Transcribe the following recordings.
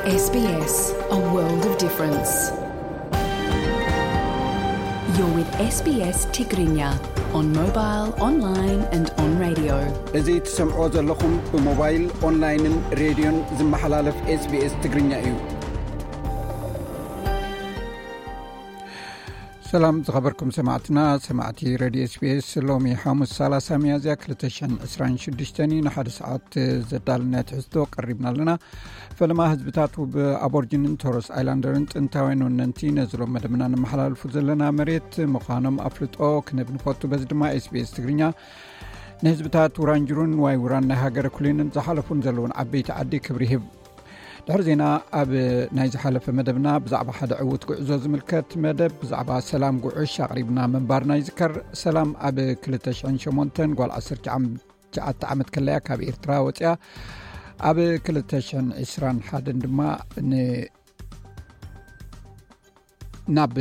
S B S, a world of difference. You're with S B S Tigrinya on mobile, online and on radio. እዚ ትሰምዖ ዘለኹም ብሞባይል፣ ኦንላይንን ሬድዮን ዝመሓላለፍ S B S ትግርኛ እዩ። ሰላም ዝኸበርኩም ሰማዕትና፣ ሰማዕቲ ሬድዮ S B S፣ ሎሚ ሓሙስ ሰላሳ ሚያዝያ ክልተ ሽሕን ዕስራን ሽዱሽተን እዩ። ንሓደ ሰዓት ዘዳለናዮ ትሕዝቶ ቀሪብና ኣለና። ፈለማ ህዝብታት ውብ ኣቦርጅንን ቶረስ ኣይላንደርን ጥንታውያን ወነንቲ ነዚ ሎም መደብና ንመሓላልፉ ዘለና መሬት ምዃኖም ኣፍልጦ ክንህብ ንፈቱ። በዚ ድማ S B S ትግርኛ ንህዝብታት ውራንጅሩን ዋይ ውራን ናይ ሃገረ ኩሊንን ዝሓለፉን ዘለውን ዓበይቲ ዓዲ ክብሪ ይህብ። ድሕሪ ዜና ኣብ ናይ ዝሓለፈ መደብና ብዛዕባ ሓደ ዕዉት ጉዕዞ ዝምልከት መደብ፣ ብዛዕባ ሰላም ጉዕሽ ኣቕሪብና ምንባርና ይዝከር። ሰላም ኣብ ክልተ ሽሕን ሸሞንተን ጓል ዓሰርተ ትሽዓተ ዓመት ከለያ ካብ ኤርትራ ወፅያ። ኣብ ክልተ ሽሕን ዕስራን ሓደን ድማ ን-፣ ናብ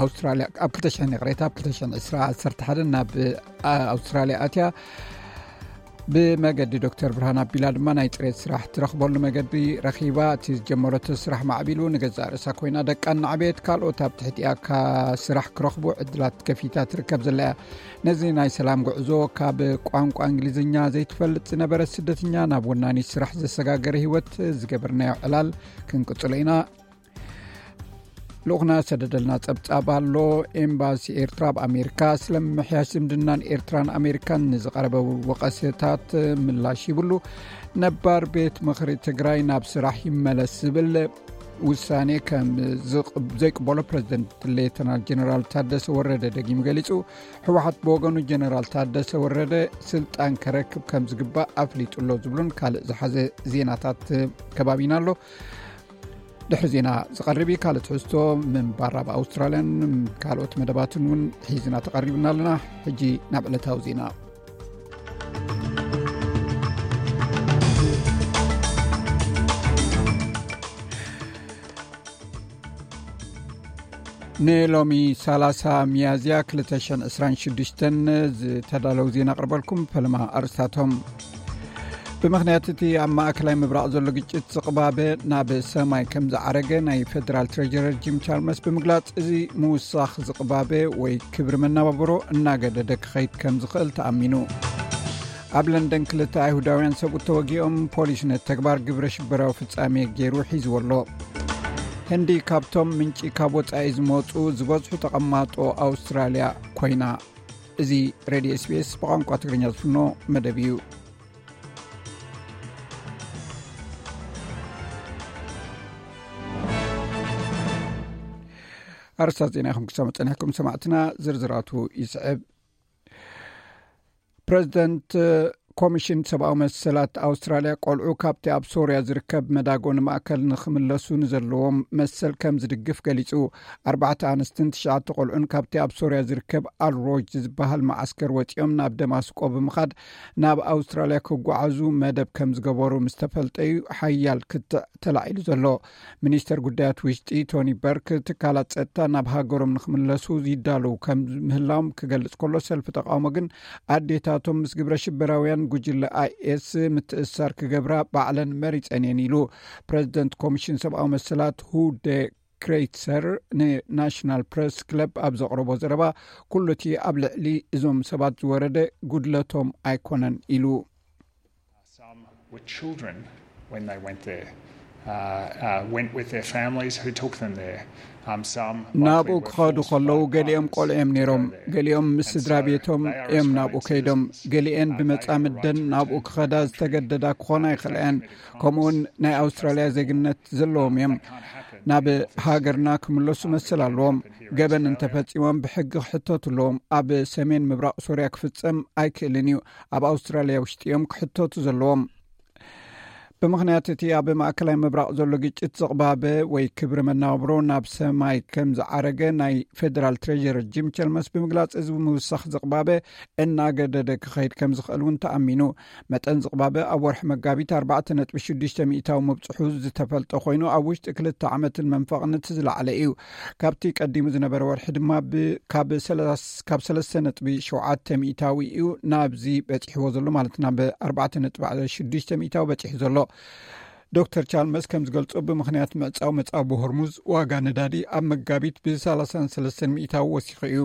ኣውስትራልያ፣ ኣብ ክልተ ሽሕን ይቕሬታ፣ ኣብ ክልተ ሽሕን ዕስራ ዓሰርተ ሓደ ናብ ኣውስትራልያ ኣትያ። ብመገዲ ዶክተር ብርሃን ኣቢላ ድማ ናይ ፅሬት ስራሕ ትረኽበሉ መገዲ ረኺባ። እቲ ዝጀመረቶ ስራሕ ማዕቢሉ፣ ንገዛእ ርእሳ ኮይና ደቃ እናዕበየት፣ ካልኦት ኣብ ትሕቲኣ ስራሕ ክረኽቡ ዕድላት ከፊታ ትርከብ ዘላ እያ። ነዚ ናይ ሰላም ጉዕዞ፣ ካብ ቋንቋ እንግሊዝኛ ዘይትፈልጥ ዝነበረት ስደተኛ ናብ ወናኒ ስራሕ ዘሰጋገረ ህይወት ዝገበርናዮ ዕላል ክንቅጽሎ ኢና። ልኡኽና ሰደደልና ጸብጻብ ኣሎ። ኤምባሲ ኤርትራ ኣብ ኣሜሪካ ስለ ምምሕያሽ ዝምድናን ኤርትራን ኣሜሪካን ንዝቐረበ ወቐሰታት ምላሽ ይብሉ። ነባር ቤት ምኽሪ ትግራይ ናብ ስራሕ ይመለስ ዝብል ውሳኔ ከም ዝቕ-፣ ዘይቅበሎ ፕሬዚደንት ሌተናል ጀነራል ታደሰ ወረደ ደጊሙ ገሊጹ። ህወሓት ብወገኑ ጀነራል ታደሰ ወረደ ስልጣን ከረክብ ከም ዝግባእ ኣፍሊጡ ኣሎ ዝብሉን ካልእ ዝሓዘ ዜናታት ከባቢና ኣሎ። ድሕሪ ዜና ዝቐርብ እዩ። ካልእ ትሕዝቶ ምንባር ኣብ ኣውስትራልያን ካልኦት መደባትን እውን ሒዝና ተቐሪብና ኣለና። ሕጂ ናብ ዕለታዊ ዜና። ንሎሚ ሰላሳ ሚያዝያ ክልተ ሽሕን ዕስራን ሽዱሽተን ዝተዳለዉ ዜና ኣቕርበልኩም። ፈለማ ኣርእስታቶም። ብምኽንያት እቲ ኣብ ማእከላይ ምብራቕ ዘሎ ግጭት ዝቕባበ ናብ ሰማይ ከም ዝዓረገ ናይ ፌደራል ትሬጀረር ጂም ቻልመርስ ብምግላጽ፣ እዚ ምውሳኽ ዝቕባበ ወይ ክብሪ መነባብሮ እናገደደ ክኸይድ ከም ዝኽእል ተኣሚኑ። ኣብ ለንደን ክልተ ኣይሁዳውያን ሰብኡት ተወጊኦም፣ ፖሊስ ነቲ ተግባር ግብረ ሽበራዊ ፍጻሜ ገይሩ ሒዝዎ ኣሎ። ህንዲ ካብቶም ምንጪ ካብ ወጻኢ ዝመጹ ዝበዝሑ ተቐማጦ ኣውስትራልያ ኮይና። እዚ ሬድዮ S B S ብቋንቋ ትግርኛ ዝፍኖ መደብ እዩ። ኣርእስታት ዜና ኢኹም ክሰምዑ ጸኒሕኩም ሰማዕትና፣ ዝርዝራቱ ይስዕብ። ፕረዚደንት ኮሚሽን ሰብኣዊ መሰላት ኣውስትራልያ፣ ቆልዑ ካብቲ ኣብ ሶርያ ዝርከብ መዳጎኒ ማእከል ንኽምለሱ ንዘለዎም መሰል ከም ዝድግፍ ገሊጹ። ኣርባዕተ ኣንስትን ትሽዓተ ቆልዑን ካብቲ ኣብ ሶርያ ዝርከብ ኣል ሮጅ ዝበሃል መዓስከር ወጺኦም ናብ ደማስቆ ብምኻድ ናብ ኣውስትራልያ ክጓዓዙ መደብ ከም ዝገበሩ ምስ ተፈልጠ እዩ ሓያል ክትዕ ተላዒሉ ዘሎ። ሚኒስተር ጉዳያት ውሽጢ ቶኒ በርክ፣ ትካላት ጸጥታ ናብ ሃገሮም ንኽምለሱ ይዳለዉ ከም ምህላዎም ክገልጽ ከሎ፣ ሰልፊ ተቃውሞ ግን ኣዴታቶም ምስ ግብረ ሽበራውያን ጉጅለ I S ምትእስሳር ክገብራ ባዕለን መሪጸን እየን ኢሉ። ፕረዚደንት ኮሚሽን ሰብኣዊ መሰላት ሁደ ክሬትሰር ንናሽናል ፕረስ ክለብ ኣብ ዘቕረቦ ዘረባ፣ ኩሉ እቲ ኣብ ልዕሊ እዞም ሰባት ዝወረደ ጉድለቶም ኣይኮነን ኢሉ። Some were children when they went there, uh, uh, went with their families who took them there. Um, some likely ናብኡ were ክኸዱ forced ከለዉ by ገሊኦም partners ቆልዑ እዮም to ነይሮም፣ go there. ገሊኦም ምስ And ስድራ so ቤቶም they are እዮም ናብኡ responding to ከይዶም፣ this ገሊኤን uh, ብመጻምደን ናብኡ ክኸዳ ዝተገደዳ ክኾና ይኽእላ እየን። ከምኡውን ናይ ኣውስትራልያ ዜግነት ዘለዎም እዮም። ናብ ሃገርና ክምለሱ መሰል ኣለዎም። ገበን እንተፈጺሞም ብሕጊ ክሕተቱ ኣለዎም። ኣብ ሰሜን ምብራቕ ሶርያ ክፍጸም ኣይክእልን እዩ። ኣብ ኣውስትራልያ ውሽጢ እዮም ክሕተቱ ዘለዎም። ብምኽንያት እቲ ኣብ ማእከላይ ምብራቕ ዘሎ ግጭት ዝቕባበ ወይ ክብሪ መነባብሮ ናብ ሰማይ ከም ዝዓረገ ናይ ፌደራል ትሬጀረር ጂም ቸልመስ ብምግላጽ፣ እዚ ምውሳኽ ዝቕባበ እናገደደ ክኸይድ ከም ዝኽእል እውን ተኣሚኑ። መጠን ዝቕባበ ኣብ ወርሒ መጋቢት ኣርባዕተ ነጥቢ ሽዱሽተ ሚእታዊ ምብጽሑ ዝተፈልጠ ኮይኑ፣ ኣብ ውሽጢ ክልተ ዓመትን መንፈቕን እቲ ዝለዓለ እዩ። ካብቲ ቀዲሙ ዝነበረ ወርሒ ድማ ብ-፣ ካብ ሰለስ-፣ ካብ ሰለስተ ነጥቢ ሸውዓተ ሚእታዊ እዩ ናብዚ በጺሕዎ ዘሎ፣ ማለት ናብ ኣርባዕተ ነጥቢ ሽዱሽተ ሚእታዊ በጺሑ ዘሎ። ዶክተር ቻልመስ ከም ዝገልጾ፣ ብምኽንያት ምዕጻው መጻጉ ሆርሙዝ ዋጋ ነዳዲ ኣብ መጋቢት ብ33 ሚእታዊ ወሲኹ እዩ።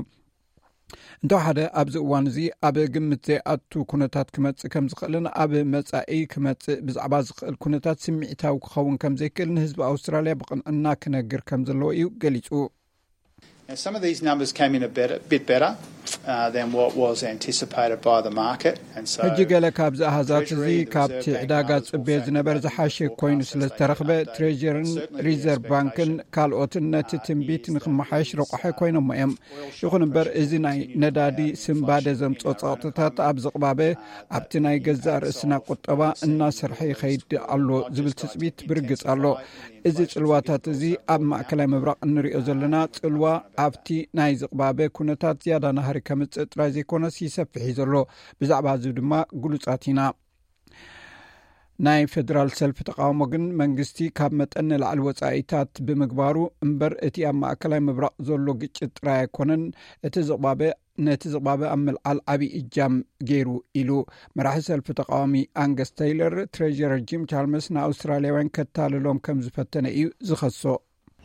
እንተወሓደ ኣብዚ እዋን እዚ ኣብ ግምት ዘይኣቱ ኩነታት ክመጽእ ከም ዝኽእልን ኣብ መጻኢ ክመጽእ ብዛዕባ ዝኽእል ኩነታት ስምዒታዊ ክኸውን ከም ዘይክእል ንህዝቢ ኣውስትራልያ ብቕንዕና ክነግር ከም ዘለዎ እዩ ገሊጹ። Now, some of these numbers came in a better, bit better uh, than what was anticipated by the market. And so, ሕጂ ገለ ካብዚ ኣሃዛት እዚ ካብቲ ዕዳጋ ዝጽበዮ ዝነበረ ዝሓሸ ኮይኑ ስለ ዝተረኽበ፣ ትሬጀርን ሪዘርቭ ባንክን ካልኦትን ነቲ ትንቢት ንክመሓየሽ ረቋሒ ኮይኖሞ እዮም። ይኹን እምበር፣ እዚ ናይ ነዳዲ ስንባደ ዘምጾ ጸቕጥታት ኣብ ዝቕባበ ኣብቲ ናይ ገዛእ ርእስና ቁጠባ እናሰርሐ ይኸይድ ኣሎ ዝብል ትጽቢት ብርግጽ ኣሎ። እዚ ጽልዋታት እዚ ኣብ ማእከላይ ምብራቕ እንሪኦ ዘለና ጽልዋ ኣብቲ ናይ ዝቕባበ ኩነታት ዝያዳ ናህሪ ከምጽእ ጥራይ ዘይኮነስ ይሰፍሕ እዩ ዘሎ። ብዛዕባ እዚ ድማ ግሉጻት ኢና። ናይ ፌደራል ሰልፊ ተቃውሞ ግን መንግስቲ ካብ መጠን ንላዕሊ ወጻኢታት ብምግባሩ እምበር እቲ ኣብ ማእከላይ ምብራቕ ዘሎ ግጭት ጥራይ ኣይኮነን እቲ ዝቕባበ ነቲ ዝቕባበ ኣብ ምልዓል ዓቢ እጃም ገይሩ ኢሉ። መራሒ ሰልፊ ተቃዋሚ ኣንገስ ተይለር፣ ትሬጀረር ጂም ቻልመስ ንኣውስትራልያውያን ከታልሎም ከም ዝፈተነ እዩ ዝኸሶ።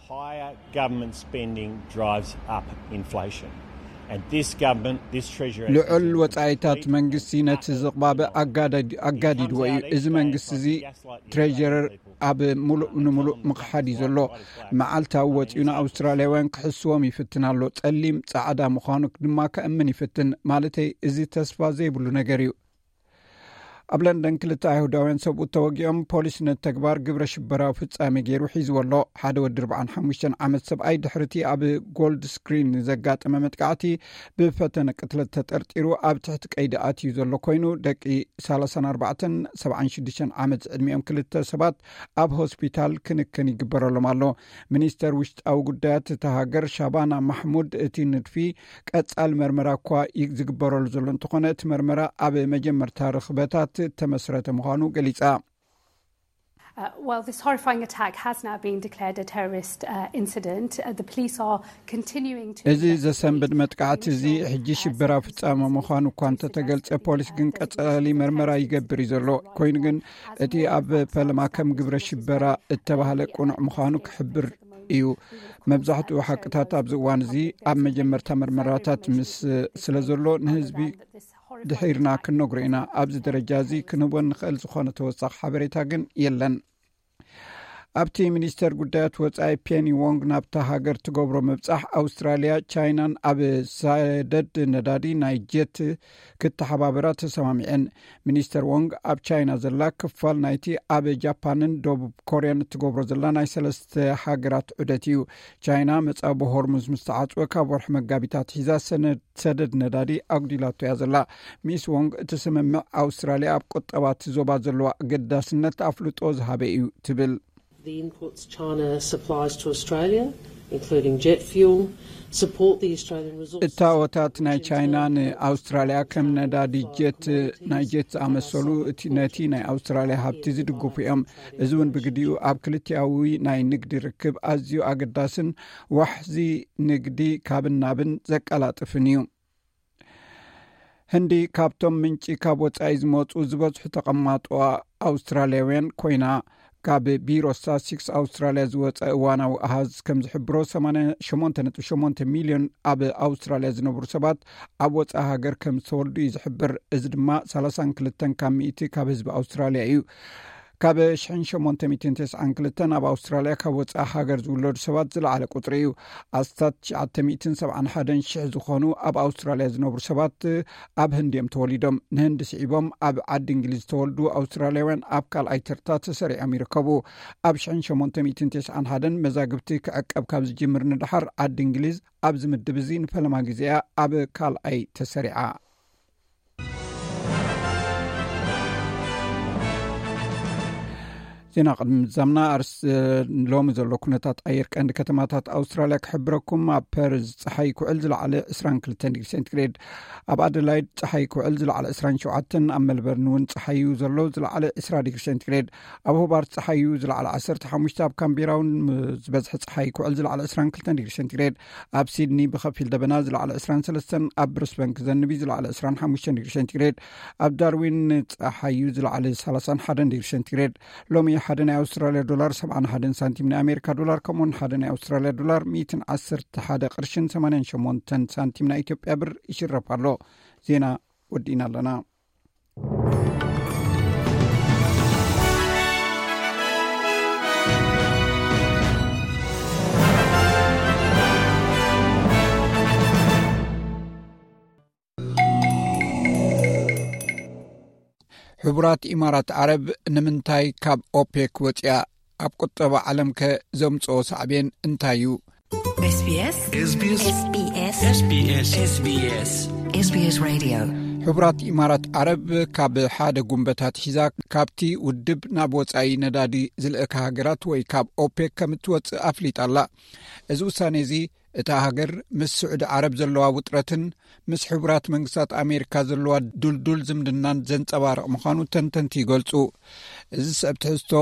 Higher government spending drives up inflation. And this government, this treasurer, ልዑል ወጻኢታት መንግስቲ ነቲ ዝቕባበ ኣጋዳዲ- ኣጋዲድዎ እዩ። እዚ መንግስቲ እዚ ትሬጀረር ኣብ ሙሉእ ንምሉእ ምኽሓድ እዩ ዘሎ። መዓልታዊ ወጺኡ ንኣውስትራልያውያን ክሕስዎም ይፍትን ኣሎ። ጸሊም ጻዕዳ ምዃኑ ድማ ከእምን ይፍትን። ማለተይ፣ እዚ ተስፋ ዘይብሉ ነገር እዩ። ኣብ ለንደን ክልተ ኣይሁዳውያን ሰብኡት ተወጊኦም፣ ፖሊስ ነቲ ተግባር ግብረ ሽበራዊ ፍጻሜ ገይሩ ሒዝዎ ኣሎ። ሓደ ወዲ ኣርባዓን ሓሙሽተን ዓመት ሰብኣይ ድሕርቲ ኣብ ጎልድ ስክሪን ዘጋጠመ መጥቃዕቲ ብፈተነ ቅትለት ተጠርጢሩ ኣብ ትሕቲ ቀይዲ ኣትዩ ዘሎ ኮይኑ፣ ደቂ ሰላሳን ኣርባዕተን ሰብዓን ሽዱሽተን ዓመት ዝዕድሚኦም ክልተ ሰባት ኣብ ሆስፒታል ክንክን ይግበረሎም ኣሎ። ሚኒስተር ውሽጣዊ ጉዳያት እታ ሃገር ሻባና ማሕሙድ፣ እቲ ንድፊ ቀጻሊ መርመራ እኳ ይ- ዝግበረሉ ዘሎ እንተኾነ፣ እቲ መርመራ ኣብ መጀመርታ ርኽበታት እተመስረተ ምዃኑ ገሊጻ። Uh, well, this horrifying attack has now been declared a terrorist uh, incident. Uh, the police are continuing to እዚ ዘሰንብድ መጥቃዕቲ እዚ ሕጂ ሽበራ ፍጻመ ምዃኑ እኳ እንተተገልጸ፣ ፖሊስ ግን ቀጻሊ መርመራ ይገብር እዩ ዘሎ። ኮይኑ ግን እቲ ኣብ ፈለማ ከም ግብረ ሽበራ እተባህለ ቅኑዕ ምዃኑ ክሕብር እዩ። መብዛሕትኡ ሓቅታት ኣብዚ እዋን እዚ ኣብ መጀመርታ መርመራታት ምስ ስለ ዘሎ፣ ንህዝቢ ድሒርና ክንነግሮ ኢና። ኣብዚ ደረጃ እዚ ክንህቦ ንኽእል ዝኾነ ተወሳኺ ሓበሬታ ግን የለን። ኣብቲ ሚኒስተር ጉዳያት ወጻኢ ፔኒ ዎንግ ናብታ ሃገር ትገብሮ ምብጻሕ፣ ኣውስትራልያ፣ ቻይናን ኣብ ሰደድ ነዳዲ ናይ ጀት ክተሓባበራ ተሰማሚዐን። ሚኒስተር ዎንግ ኣብ ቻይና ዘላ ክፋል ናይቲ ኣብ ጃፓንን ደቡብ ኮርያን እትገብሮ ዘላ ናይ ሰለስተ ሃገራት ዑደት እዩ። ቻይና መጻብ ሆርሙዝ ምስ ተዓጽወ ካብ ወርሒ መጋቢት ኣትሒዛ ሰነድ ሰደድ ነዳዲ ኣጉዲላቶ እያ ዘላ። ሚስ ዎንግ፣ እቲ ስምምዕ ኣውስትራልያ ኣብ ቁጠባ እቲ ዞባ ዘለዋ ኣገዳስነት ኣፍልጦ ዝሃበ እዩ ትብል። The inputs China supplies to Australia, including jet fuel, support the Australian resources. እታወታት ናይ ቻይና ንኣውስትራልያ ከም ነዳዲ ጀት፣ ናይ ጀት ዝኣመሰሉ እቲ ነቲ ናይ ኣውስትራልያ ሃብቲ ዝድግፉ እዮም። እዚ እውን ብግዲኡ ኣብ ክልቲኣዊ ናይ ንግዲ ርክብ ኣዝዩ ኣገዳስን ዋሕዚ ንግዲ ካብን ናብን ዘቀላጥፍን እዩ። ህንዲ ካብቶም ምንጪ ካብ ወጻኢ ዝመጹ ዝበዝሑ ተቐማጦ ኣውስትራልያውያን ኮይና፣ ካብ ቢሮ ስታትስቲክስ ኣውስትራልያ ዝወጸ እዋናዊ ኣሃዝ ከም ዝሕብሮ፣ ሰማንያ ሸሞንተ ነጥቢ ሸሞንተ ሚልዮን ኣብ ኣውስትራልያ ዝነብሩ ሰባት ኣብ ወጻኢ ሃገር ከም ዝተወልዱ እዩ ዝሕብር። እዚ ድማ ሰላሳን ክልተን ካብ ሚእቲ ካብ ህዝቢ ኣውስትራልያ እዩ። ካብ ሽሕን ሸሞንተ ሚእትን ተስዓን ክልተን ኣብ ኣውስትራልያ ካብ ወጻኢ ሃገር ዝውለዱ ሰባት ዝለዓለ ቁጽሪ እዩ። ኣስታት ትሽዓተ ሚእትን ሰብዓን ሓደን ሽሕ ዝኾኑ ኣብ ኣውስትራልያ ዝነብሩ ሰባት ኣብ ህንዲ እዮም ተወሊዶም። ንህንዲ ስዒቦም ኣብ ዓዲ እንግሊዝ ዝተወልዱ ኣውስትራልያውያን ኣብ ካልኣይ ተርታ ተሰሪዖም ይርከቡ። ኣብ ሽሕን ሸሞንተ ሚእትን ተስዓን ሓደን መዛግብቲ ክዕቀብ ካብ ዝጅምር ንደሓር፣ ዓዲ እንግሊዝ ኣብዚ ምድብ እዚ ንፈለማ ግዜ እያ ኣብ ካልኣይ ተሰሪዓ። ዜና ቅድሚ ምዛምና፣ ኣርስ ሎሚ ዘሎ ኩነታት ኣየር ቀንዲ ከተማታት ኣውስትራልያ ክሕብረኩም። ኣብ ፐርዝ ጸሓይ ክውዕል፣ ዝለዓለ ዕስራን ክልተን ዲግሪ ሴንቲግሬድ። ኣብ ኣደላይድ ጸሓይ ክውዕል፣ ዝለዓለ ዕስራን ሸውዓተን። ኣብ ሜልበርን እውን ጸሓይ እዩ ዘሎ፣ ዝለዓለ ዕስራ ዲግሪ ሴንቲግሬድ። ኣብ ሆባርት ጸሓይ እዩ፣ ዝለዓለ ዓሰርተ ሓሙሽተ። ኣብ ካምቤራ እውን ዝበዝሐ ጸሓይ ክውዕል፣ ዝለዓለ ዕስራን ክልተን ዲግሪ ሴንቲግሬድ። ኣብ ሲድኒ ብኸፊል ደበና፣ ዝለዓለ ዕስራን ሰለስተን። ኣብ ብሪስበን ክዘንብ እዩ፣ ዝለዓለ ዕስራን ሓሙሽተን ዲግሪ ሴንቲግሬድ። ኣብ ዳርዊን ጸሓይ እዩ፣ ዝለዓለ ሰላሳን ሓደን ዲግሪ ሴንቲግሬድ። ሎሚ ሓደ ናይ ኣውስትራልያ ዶላር ሰብዓን ሓደን ሳንቲም፣ ናይ ኣሜሪካ ዶላር ከምኡውን ሓደ ናይ ኣውስትራልያ ዶላር ሚእትን ዓሰርተ ሓደ ቅርሽን ሰማንያን ሸሞንተን ሳንቲም ናይ ኢትዮጵያ ብር ይሽረፍ ኣሎ። ዜና ወዲእና ኣለና። ሕቡራት ኢማራት ዓረብ ንምንታይ ካብ ኦፔክ ወፂኣ? ኣብ ቁጠባ ዓለም ከ ዘምፅኦ ሳዕቤን እንታይ እዩ? SBS SBS SBS SBS SBS Radio። ሕቡራት ኢማራት ዓረብ ካብ ሓደ ጉንበታት ሒዛ ካብቲ ውድብ ናብ ወፃኢ ነዳዲ ዝልእካ ሃገራት ወይ ካብ ኦፔክ ከም እትወፅእ ኣፍሊጣ ኣላ። እዚ ውሳኔ እዚ እታ ሃገር ምስ ስዑዲ ዓረብ ዘለዋ ውጥረትን ምስ ሕቡራት መንግስታት ኣሜሪካ ዘለዋ ዱልዱል ዝምድናን ዘንጸባርቕ ምዃኑ ተንተንቲ ይገልጹ። እዚ ዝስዕብ ትሕዝቶ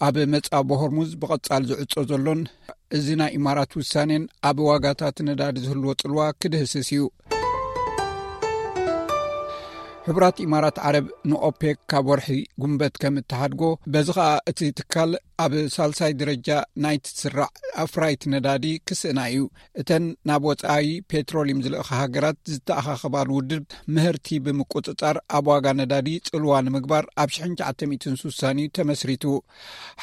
ኣብ መጻብ ሆርሙዝ ብቐጻል ዝዕጾ ዘሎን እዚ ናይ ኢማራት ውሳኔን ኣብ ዋጋታት ነዳዲ ዝህልዎ ጽልዋ ክድህስስ እዩ። ሕቡራት ኢማራት ዓረብ ንኦፔክ ካብ ወርሒ ጉንበት ከም እተሓድጎ፣ በዚ ኸኣ እቲ ትካል ኣብ ሳልሳይ ደረጃ ናይቲ ስራዕ ኣፍራይቲ ነዳዲ ክስእና እዩ። እተን ናብ ወጻኢ ፔትሮሊየም ዝልእኻ ሃገራት ዝተኣኻኸባሉ ውድብ ምህርቲ ብምቁጽጻር ኣብ ዋጋ ነዳዲ ጽልዋ ንምግባር ኣብ ሽሕን ትሽዓተ ሚእትን ስሳን እዩ ተመስሪቱ።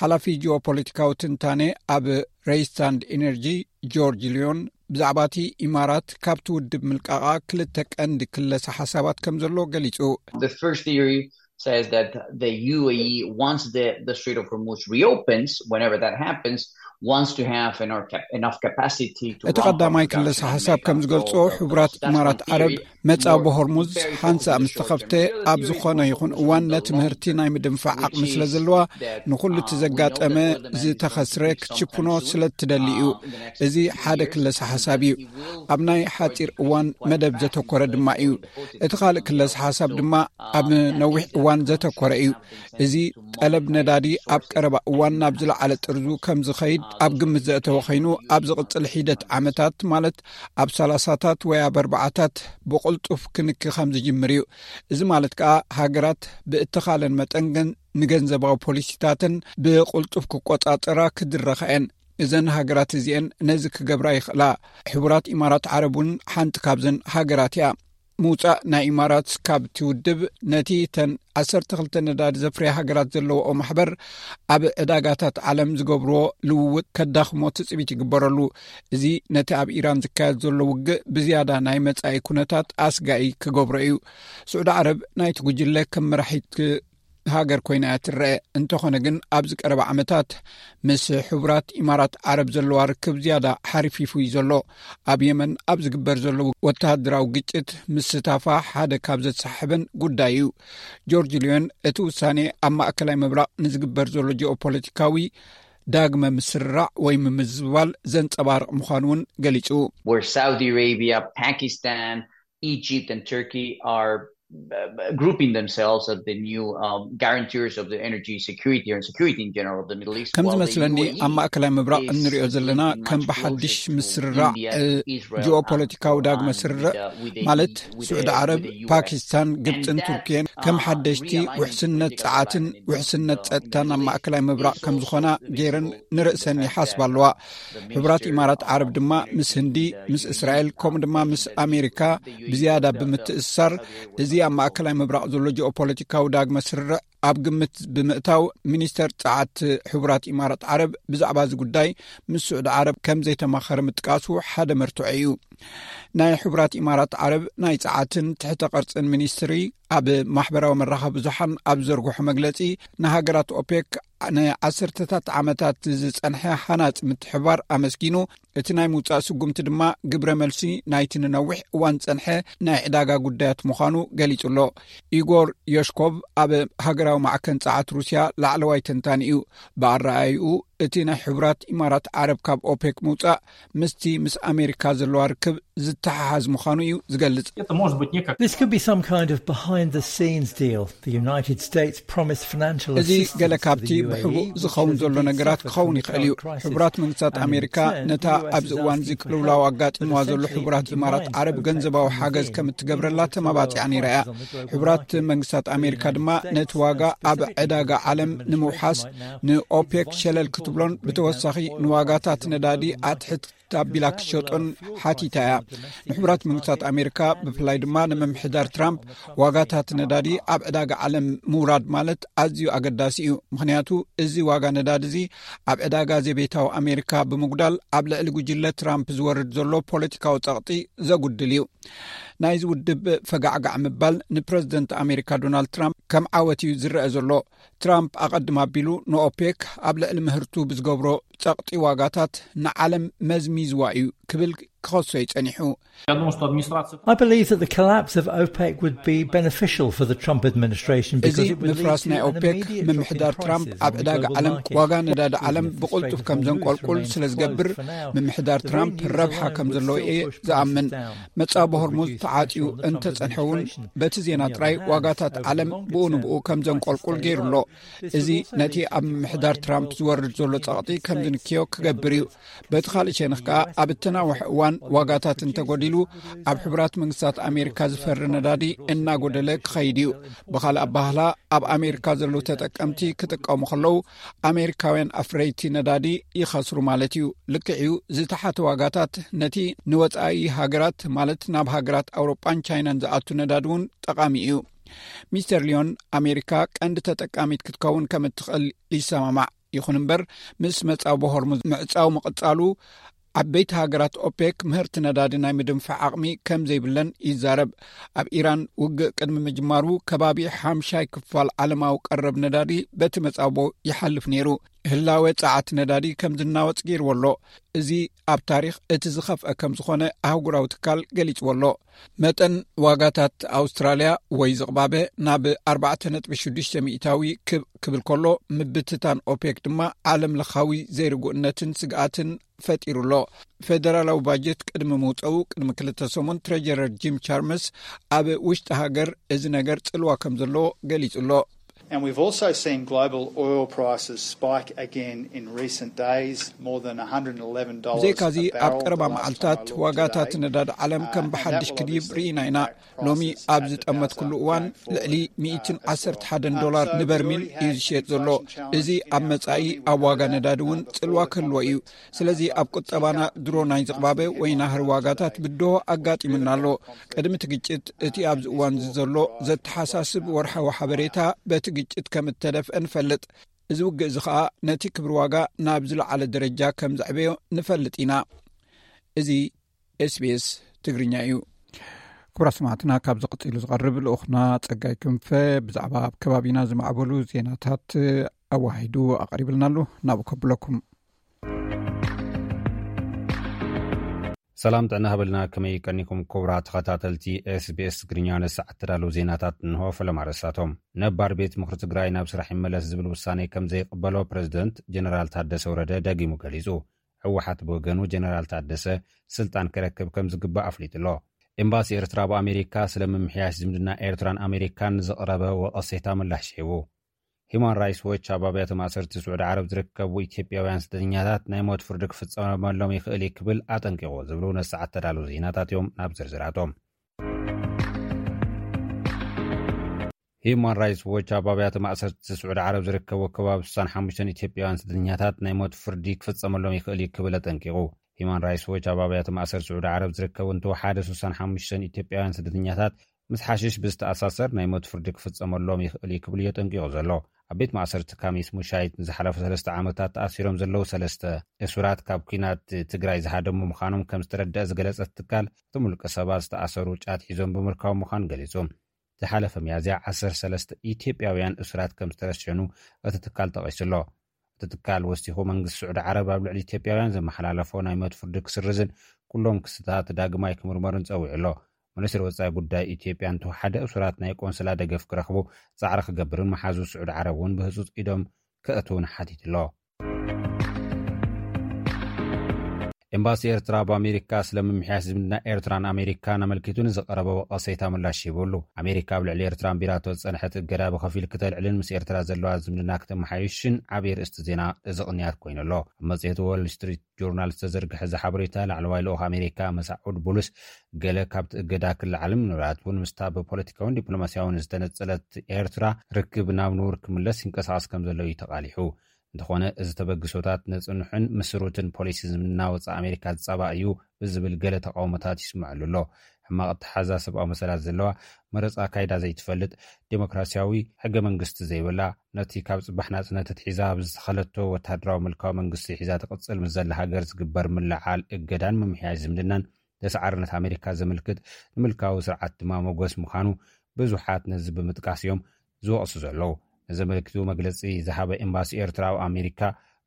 ሓላፊ ጂኦፖለቲካዊ ትንታነ ኣብ ሬይስታንድ ኢነርጂ ጆርጅ ሊዮን ብዛዕባ እቲ ኢማራት ካብቲ ውድብ ምልቃቓ ክልተ ቀንዲ ክለሳ ሓሳባት ከም ዘሎ ገሊጹ። The first theory says that the U A E, once the, the Strait of Hormuz reopens, whenever that happens, wants to have enough, cap- enough capacity to እቲ ramp up ቀዳማይ production ክለሳ and ሓሳብ make ከም up ዝገልጾ፣ for ሕቡራት Palestine. ኢማራት ዓረብ መጻብ ሆርሙዝ ሓንሳእ ምስ ተኸፍተ፣ ኣብ ዝኾነ ይኹን እዋን ነቲ ምህርቲ ናይ ምድንፋዕ ዓቕሚ ስለ ዘለዋ፣ ንኹሉ እቲ ዘጋጠመ ዝተኸስረ ክትሽፍኖ ስለ እትደሊ እዩ። እዚ ሓደ ክለሳ ሓሳብ እዩ። ኣብ ናይ ሓጺር እዋን መደብ ዘተኮረ ድማ እዩ። እቲ ካልእ ክለሳ ሓሳብ ድማ ኣብ ነዊሕ እዋን ዘተኮረ እዩ። እዚ ጠለብ ነዳዲ ኣብ ቀረባ እዋን ናብ ዝለዓለ ጥርዙ ከም ዝኸይድ ኣብ ግምት ዘእተወ ኮይኑ፣ ኣብ ዝቕጽል ሒደት ዓመታት፣ ማለት ኣብ ሰላሳታት ወይ ኣብ ኣርባዓታት፣ ብቕልጡፍ ክንኪ ከም ዝጅምር እዩ። እዚ ማለት ከኣ፣ ሃገራት ብእተኻለን መጠን ገን-፣ ንገንዘባዊ ፖሊሲታተን ብቕልጡፍ ክቆጻጸራ ክድረኻ እየን። እዘን ሃገራት እዚኤን ነዚ ክገብራ ይኽእላ። ሕቡራት ኢማራት ዓረብ እውን ሓንቲ ካብዘን ሃገራት እያ። ምውጻእ ናይ ኢማራት ካብቲ ውድብ፣ ነቲ ተን ዓሰርተ ክልተ ነዳዲ ዘፍርያ ሃገራት ዘለዎኦ ማሕበር ኣብ ዕዳጋታት ዓለም ዝገብርዎ ልውውጥ ከዳኽሞ ትጽቢት ይግበረሉ። እዚ ነቲ ኣብ ኢራን ዝካየድ ዘሎ ውግእ ብዝያዳ ናይ መጻኢ ኩነታት ኣስጋኢ ክገብሮ እዩ። ስዑዲ ዓረብ ናይቲ ጉጅለ ከም መራሒት ሃገር ኮይና እያ ትረአ። እንተኾነ ግን፣ ኣብዚ ቀረባ ዓመታት ምስ ሕቡራት ኢማራት ዓረብ ዘለዋ ርክብ ዝያዳ ሓሪፊፉ እዩ ዘሎ። ኣብ የመን ኣብ ዝግበር ዘሎ ወተሃደራዊ ግጭት ምስታፋ ሓደ ካብ ዘተሳሕበን ጉዳይ እዩ። ጆርጅ ሊዮን እቲ ውሳኔ ኣብ ማእከላይ ምብራቕ ንዝግበር ዘሎ ጂኦፖለቲካዊ ዳግመ ምስርራዕ ወይ ምምዝባል ዘንጸባርቕ ምዃኑ እውን ገሊጹ። Where Saudi Arabia, Pakistan, Egypt and Turkey are, uh, grouping themselves as the new, um, guarantors of the energy security or security in general of the Middle East. ከም ዝመስለኒ፣ ኣብ ማእከላይ ምብራቕ እንሪኦ ዘለና ከም ብሓድሽ ምስርራዕ ጂኦፖለቲካዊ ዳግመ ስርርዕ፣ ማለት ስዑዲ ዓረብ፣ ፓኪስታን፣ ግብፅን ቱርክየን ከም ሓደሽቲ ውሕስነት ፀዓትን ውሕስነት ፀጥታን ኣብ ማእከላይ ምብራቕ ከም ዝኾና ገይረን ንርእሰን ይሓስባ ኣለዋ። ሕቡራት ኢማራት ዓረብ ድማ ምስ ህንዲ፣ ምስ እስራኤል፣ ከምኡ ድማ ምስ ኣሜሪካ ብዝያዳ ብምትእስሳር፣ እዚ ኣብ ማእከላይ ምብራቕ ዘሎ ጂኦፖለቲካዊ ዳግመ ስርርዕ ኣብ ግምት ብምእታው፣ ሚኒስተር ጸዓት ሕቡራት ኢማራት ዓረብ ብዛዕባ እዚ ጉዳይ ምስ ስዑዲ ዓረብ ከም ዘይተማኸረ ምጥቃሱ ሓደ መርትዖ እዩ። ናይ ሕቡራት ኢማራት ዓረብ ናይ ጸዓትን ትሕተ ቅርጽን ሚኒስትሪ ኣብ ማሕበራዊ መራኸቢ ብዙሓን ኣብ ዘርግሖ መግለጺ፣ ንሃገራት ኦፔክ ንዓሰርተታት ዓመታት ዝጸንሐ ሃናጺ ምትሕብባር ኣመስጊኑ፣ እቲ ናይ ምውጻእ ስጉምቲ ድማ ግብረ መልሲ ናይቲ ንነዊሕ እዋን ዝጸንሐ ናይ ዕዳጋ ጉዳያት ምዃኑ ገሊጹ ኣሎ። ኢጎር ዮሽኮቭ ኣብ ሃገራዊ ማዕከን ጸዓት ሩስያ ላዕለዋይ ተንታኒ እዩ። ብኣረኣእይኡ፣ እቲ ናይ ሕቡራት ኢማራት ዓረብ ካብ ኦፔክ ምውጻእ ምስቲ ምስ ኣሜሪካ ዘለዋ ርክብ ዝተሓሓዝ ምዃኑ እዩ ዝገልጽ። This could be some kind of behind the scenes deal. The United States promised financial እዚ ገለ ካብቲ ብሕቡእ ዝኸውን ዘሎ ነገራት ክኸውን ይኽእል እዩ። ሕቡራት መንግስታት ኣሜሪካ ነታ ኣብዚ እዋን እዚ ቅልውላው ኣጋጢምዋ ዘሎ ሕቡራት ኢማራት ዓረብ ገንዘባዊ ሓገዝ ከም እትገብረላ ተማባጺዓ ነይራ እያ። ሕቡራት መንግስታት ኣሜሪካ ድማ ነቲ ዋጋ ኣብ ዕዳጋ ዓለም ንምውሓስ ንኦፔክ ሸለል ክትብሎን ብተወሳኺ ንዋጋታት ነዳዲ ኣትሕት ኣቢላ ክሸጦን ሓቲታ እያ። ንሕቡራት መንግስታት ኣሜሪካ ብፍላይ ድማ ንምምሕዳር ትራምፕ ዋጋታት ነዳዲ ኣብ ዕዳጋ ዓለም ምውራድ ማለት ኣዝዩ ኣገዳሲ እዩ። ምኽንያቱ እዚ ዋጋ ነዳዲ እዚ ኣብ ዕዳጋ ዘቤታዊ ኣሜሪካ ብምጉዳል ኣብ ልዕሊ ጉጅለ ትራምፕ ዝወርድ ዘሎ ፖለቲካዊ ጸቕጢ ዘጉድል እዩ። ናይዚ ውድብ ፈጋዕጋዕ ምባል ንፕረዚደንት ኣሜሪካ ዶናልድ ትራምፕ ከም ዓወት እዩ ዝረአ ዘሎ። ትራምፕ ኣቐድም ኣቢሉ ንኦፔክ ኣብ ልዕሊ ምህርቱ ብዝገብሮ ጸቕጢ ዋጋታት ንዓለም መዝሚዝዋ እዩ ክብል ክኸሶ እዩ ጸኒሑ። I believe that the collapse of OPEC would be beneficial for the Trump administration. እዚ ምፍራስ ናይ ኦፔክ ምምሕዳር ትራምፕ ኣብ ዕዳጋ ዓለም ዋጋ ነዳዲ ዓለም ብቕልጡፍ ከም ዘንቆልቁል ስለ ዝገብር ምምሕዳር ትራምፕ ረብሓ ከም ዘለዎ እየ ዝኣምን። መጻቦ ሆርሙዝ ተዓጽዩ እንተጸንሐ እውን በቲ ዜና ጥራይ ዋጋታት ዓለም ብኡ ንብኡ ከም ዘንቆልቁል ገይሩ ኣሎ። እዚ ነቲ ኣብ ምምሕዳር ትራምፕ ዝወርድ ዘሎ ጸቕጢ ከም ዝንክዮ ክገብር እዩ። በቲ ካልእ ሸነኽ ከኣ ኣብ እተናውሕ እዋን ዋጋታት እንተጎዲሉ ኣብ ሕቡራት መንግስታት ኣሜሪካ ዝፈሪ ነዳዲ እናጎደለ ክኸይድ እዩ። ብኻልእ ኣባህላ ኣብ ኣሜሪካ ዘለዉ ተጠቀምቲ ክጥቀሙ ከለዉ ኣሜሪካውያን ኣፍረይቲ ነዳዲ ይኸስሩ ማለት እዩ። ልክዕ እዩ፣ ዝተሓተ ዋጋታት ነቲ ንወጻኢ ሃገራት ማለት ናብ ሃገራት ኣውሮጳን ቻይናን ዝኣቱ ነዳዲ እውን ጠቓሚ እዩ። ሚስተር ሊዮን ኣሜሪካ ቀንዲ ተጠቃሚት ክትከውን ከም እትኽእል ይሰማማዕ። ይኹን እምበር ምስ መጻቦ ሆርሙዝ ምዕጻው ምቕጻሉ ዓበይቲ ሃገራት ኦፔክ ምህርቲ ነዳዲ ናይ ምድንፋዕ ዓቕሚ ከም ዘይብለን ይዛረብ። ኣብ ኢራን ውግእ ቅድሚ ምጅማሩ ከባቢ ሓምሻይ ክፋል ዓለማዊ ቀረብ ነዳዲ በቲ መጻቦ ይሓልፍ ነይሩ። ህላወ ጸዓት ነዳዲ ከም ዝናወጽ ገይርዎ ኣሎ። እዚ ኣብ ታሪኽ እቲ ዝኸፍአ ከም ዝኾነ ኣህጉራዊ ትካል ገሊጽዎ ኣሎ። መጠን ዋጋታት ኣውስትራልያ ወይ ዝቕባበ ናብ ኣርባዕተ ነጥቢ ሽዱሽተ ሚእታዊ ክብ ክብል ከሎ ምብትታን ኦፔክ ድማ ዓለም ለኻዊ ዘይርጉእነትን ስግኣትን ፈጢሩ ኣሎ። ፌደራላዊ ባጀት ቅድሚ ምውፀኡ ቅድሚ ክልተ ሰሙን ትሬጀረር ጂም ቻርመስ ኣብ ውሽጢ ሃገር እዚ ነገር ጽልዋ ከም ዘለዎ ገሊጹ ኣሎ። And we've also seen global oil prices spike again in recent days, more than one hundred eleven dollars ብዘይካዚ a ኣብ barrel. ቀረባ መዓልታት ዋጋታት ነዳዲ ዓለም ከም ብሓድሽ ክድይብ ርኢና ኢና። ሎሚ ኣብ ዝጠመትኩሉ እዋን ልዕሊ ሚእትን ዓሰርተ ሓደን ዶላር ንበርሚል እዩ ዝሸየጥ ዘሎ። እዚ ኣብ መጻኢ ኣብ ዋጋ ነዳዲ እውን ጽልዋ ክህልዎ እዩ። ስለዚ ኣብ ቁጠባና ድሮ ናይ ዝቕባበ ወይ ናህሪ ዋጋታት ብድሆ ኣጋጢሙና ኣሎ። ቅድሚ እቲ ግጭት እቲ ኣብዚ እዋን እዚ ዘሎ ዘተሓሳስብ ወርሓዊ ሓበሬታ በቲ ግጭት ከም እተደፍአ ንፈልጥ። እዚ ውግእ እዚ ኸኣ ነቲ ክብሪ ዋጋ ናብ ዝለዓለ ደረጃ ከም ዘዕበዮ ንፈልጥ ኢና። እዚ ኤስቢኤስ ትግርኛ እዩ። ክቡራት ሰማዕትና፣ ካብ ዝቕጽሉ ዝቐርብ ልኡኽና ጸጋይ ክንፈ ብዛዕባ ኣብ ከባቢና ዝማዕበሉ ዜናታት ኣዋሂዱ ኣቕሪብልና ኣሎ። ናብኡ ከብለኩም። ሰላም ጥዕና ሃበልና፣ ከመይ ቀኒኩም ክቡራት ተኸታተልቲ ኤስቢኤስ ትግርኛ? ንሰዓት ተዳለዉ ዜናታት እንሆ። ፈለማ ርእሳቶም። ነባር ቤት ምኽሪ ትግራይ ናብ ስራሕ ይመለስ ዝብል ውሳኔ ከም ዘይቕበሎ ፕሬዝደንት ጀነራል ታደሰ ወረደ ደጊሙ ገሊጹ። ህወሓት ብወገኑ ጀነራል ታደሰ ስልጣን ክረክብ ከም ዝግባእ ኣፍሊጡ ኣሎ። ኤምባሲ ኤርትራ ኣብ ኣሜሪካ ስለ ምምሕያሽ ዝምድና ኤርትራን ኣሜሪካን ንዘቕረበ ወቐሴታ ምላሽ ሂቡ። ሂማን ራይትስ ዎች ኣብ ኣብያተ ማእሰርቲ ስዑዲ ዓረብ ዝርከቡ ኢትዮጵያውያን ስደተኛታት ናይ ሞት ፍርዲ ክፍጸመሎም ይኽእል እዩ ክብል ኣጠንቂቑ ዝብሉ ነሰዓት ተዳለዉ ዜናታት እዮም። ናብ ዝርዝራቶም። ሂማን ራይትስ ዎች ኣብ ኣብያተ ማእሰርቲ ስዑዲ ዓረብ ዝርከቡ ከባቢ ስሳን ሓሙሽተን ኢትዮጵያውያን ስደተኛታት ናይ ሞት ፍርዲ ክፍጸመሎም ይኽእል እዩ ክብል ኣጠንቂቑ። ሂማን ራይትስ ዎች ኣብ ኣብያተ ማእሰርቲ ስዑዲ ዓረብ ዝርከቡ እንተወሓደ ስሳን ሓሙሽተን ኢትዮጵያውያን ስደተኛታት ምስ ሓሽሽ ብዝተኣሳሰር ናይ ሞት ፍርዲ ክፍጸመሎም ይኽእል እዩ ክብል እዩ ኣጠንቂቑ ዘሎ። ኣብ ቤት ማእሰርቲ ካሚስ ሙሻይት ንዝሓለፈ ሰለስተ ዓመታት ተኣሲሮም ዘለዉ ሰለስተ እሱራት ካብ ኲናት ትግራይ ዝሃደሙ ምዃኖም ከም ዝተረደአ ዝገለጸ ትካል፣ እቶም ውልቀ ሰባት ዝተኣሰሩ ጫት ሒዞም ብምርካቦም ምዃኑ ገሊጹ። ዝሓለፈ ሚያዝያ ዓሰርተ ሰለስተ ኢትዮጵያውያን እሱራት ከም ዝተረሸኑ እቲ ትካል ጠቒሱ ኣሎ። እቲ ትካል ወሲኹ መንግስቲ ስዑዲ ዓረብ ኣብ ልዕሊ ኢትዮጵያውያን ዘመሓላለፎ ናይ ሞት ፍርዲ ክስርዝን ኩሎም ክስታት ዳግማይ ክምርመሩን ጸዊዑ ኣሎ። ሚኒስትሪ ወጻኢ ጉዳይ ኢትዮጵያ እንተወሓደ እሱራት ናይ ቆንስላ ደገፍ ክረኽቡ ጻዕሪ ክገብርን መሓዙ ስዑዲ ዓረብ እውን ብህጹጽ ኢዶም ከእትውን ሓቲቱ ኣሎ። ኤምባሲ ኤርትራ ኣብ ኣሜሪካ ስለ ምምሕያሽ ዝምድና ኤርትራን ኣሜሪካን ኣመልኪቱ ንዝቐረበ ወቐሰይታ ምላሽ ሂቡሉ። ኣሜሪካ ኣብ ልዕሊ ኤርትራ ኣንቢራቶ ዝጸንሐት እገዳ ብኸፊል ክተልዕልን ምስ ኤርትራ ዘለዋ ዝምድና ክተመሓይሽን ዓብዪ ርእስቲ ዜና እዚ ቅንያት ኮይኑ ኣሎ። ኣብ መጽሔት ዎል ስትሪት ጆርናል ዝተዘርግሐ እዚ ሓበሬታ፣ ላዕለዋይ ልኡኽ ኣሜሪካ መሳዑድ ቡሉስ፣ ገለ ካብቲ እገዳ ክለዓልን ምናልባት እውን ምስታ ብፖለቲካውን ዲፕሎማሲያውን ዝተነጸለት ኤርትራ ርክብ ናብ ንቡር ክምለስ ይንቀሳቐስ ከም ዘሎ እዩ ተቓሊሑ። እንተኾነ፣ እዚ ተበግሶታት ነጽንሑን ምስሩትን ፖሊሲ ዝምድና ወጻኢ ኣሜሪካ ዝጻባእ እዩ ብዝብል ገለ ተቃውሞታት ይስምዐሉ ኣሎ። ሕማቕ ኣተሓዛ ሰብኣዊ መሰላት ዘለዋ፣ መረጻ ኣካይዳ ዘይትፈልጥ፣ ዴሞክራሲያዊ ሕገ መንግስቲ ዘይብላ፣ ነቲ ካብ ጽባሕ ናጽነት ኣትሒዛ ኣብ ዝተኸለቶ ወተሃደራዊ ምልካዊ መንግስቲ ሒዛ ትቕጽል ምስ ዘላ ሃገር ዝግበር ምልዓል እገዳን ምምሕያሽ ዝምድናን፣ ተሰዓርነት ኣሜሪካ ዘመልክት፣ ንምልካዊ ስርዓት ድማ መጎስ ምዃኑ ብዙሓት ነዚ ብምጥቃስ እዮም ዝወቕሱ ዘለዉ። ነዚ ኣመልኪቱ መግለጺ ዝሃበ ኤምባሲ ኤርትራ ኣብ ኣሜሪካ፣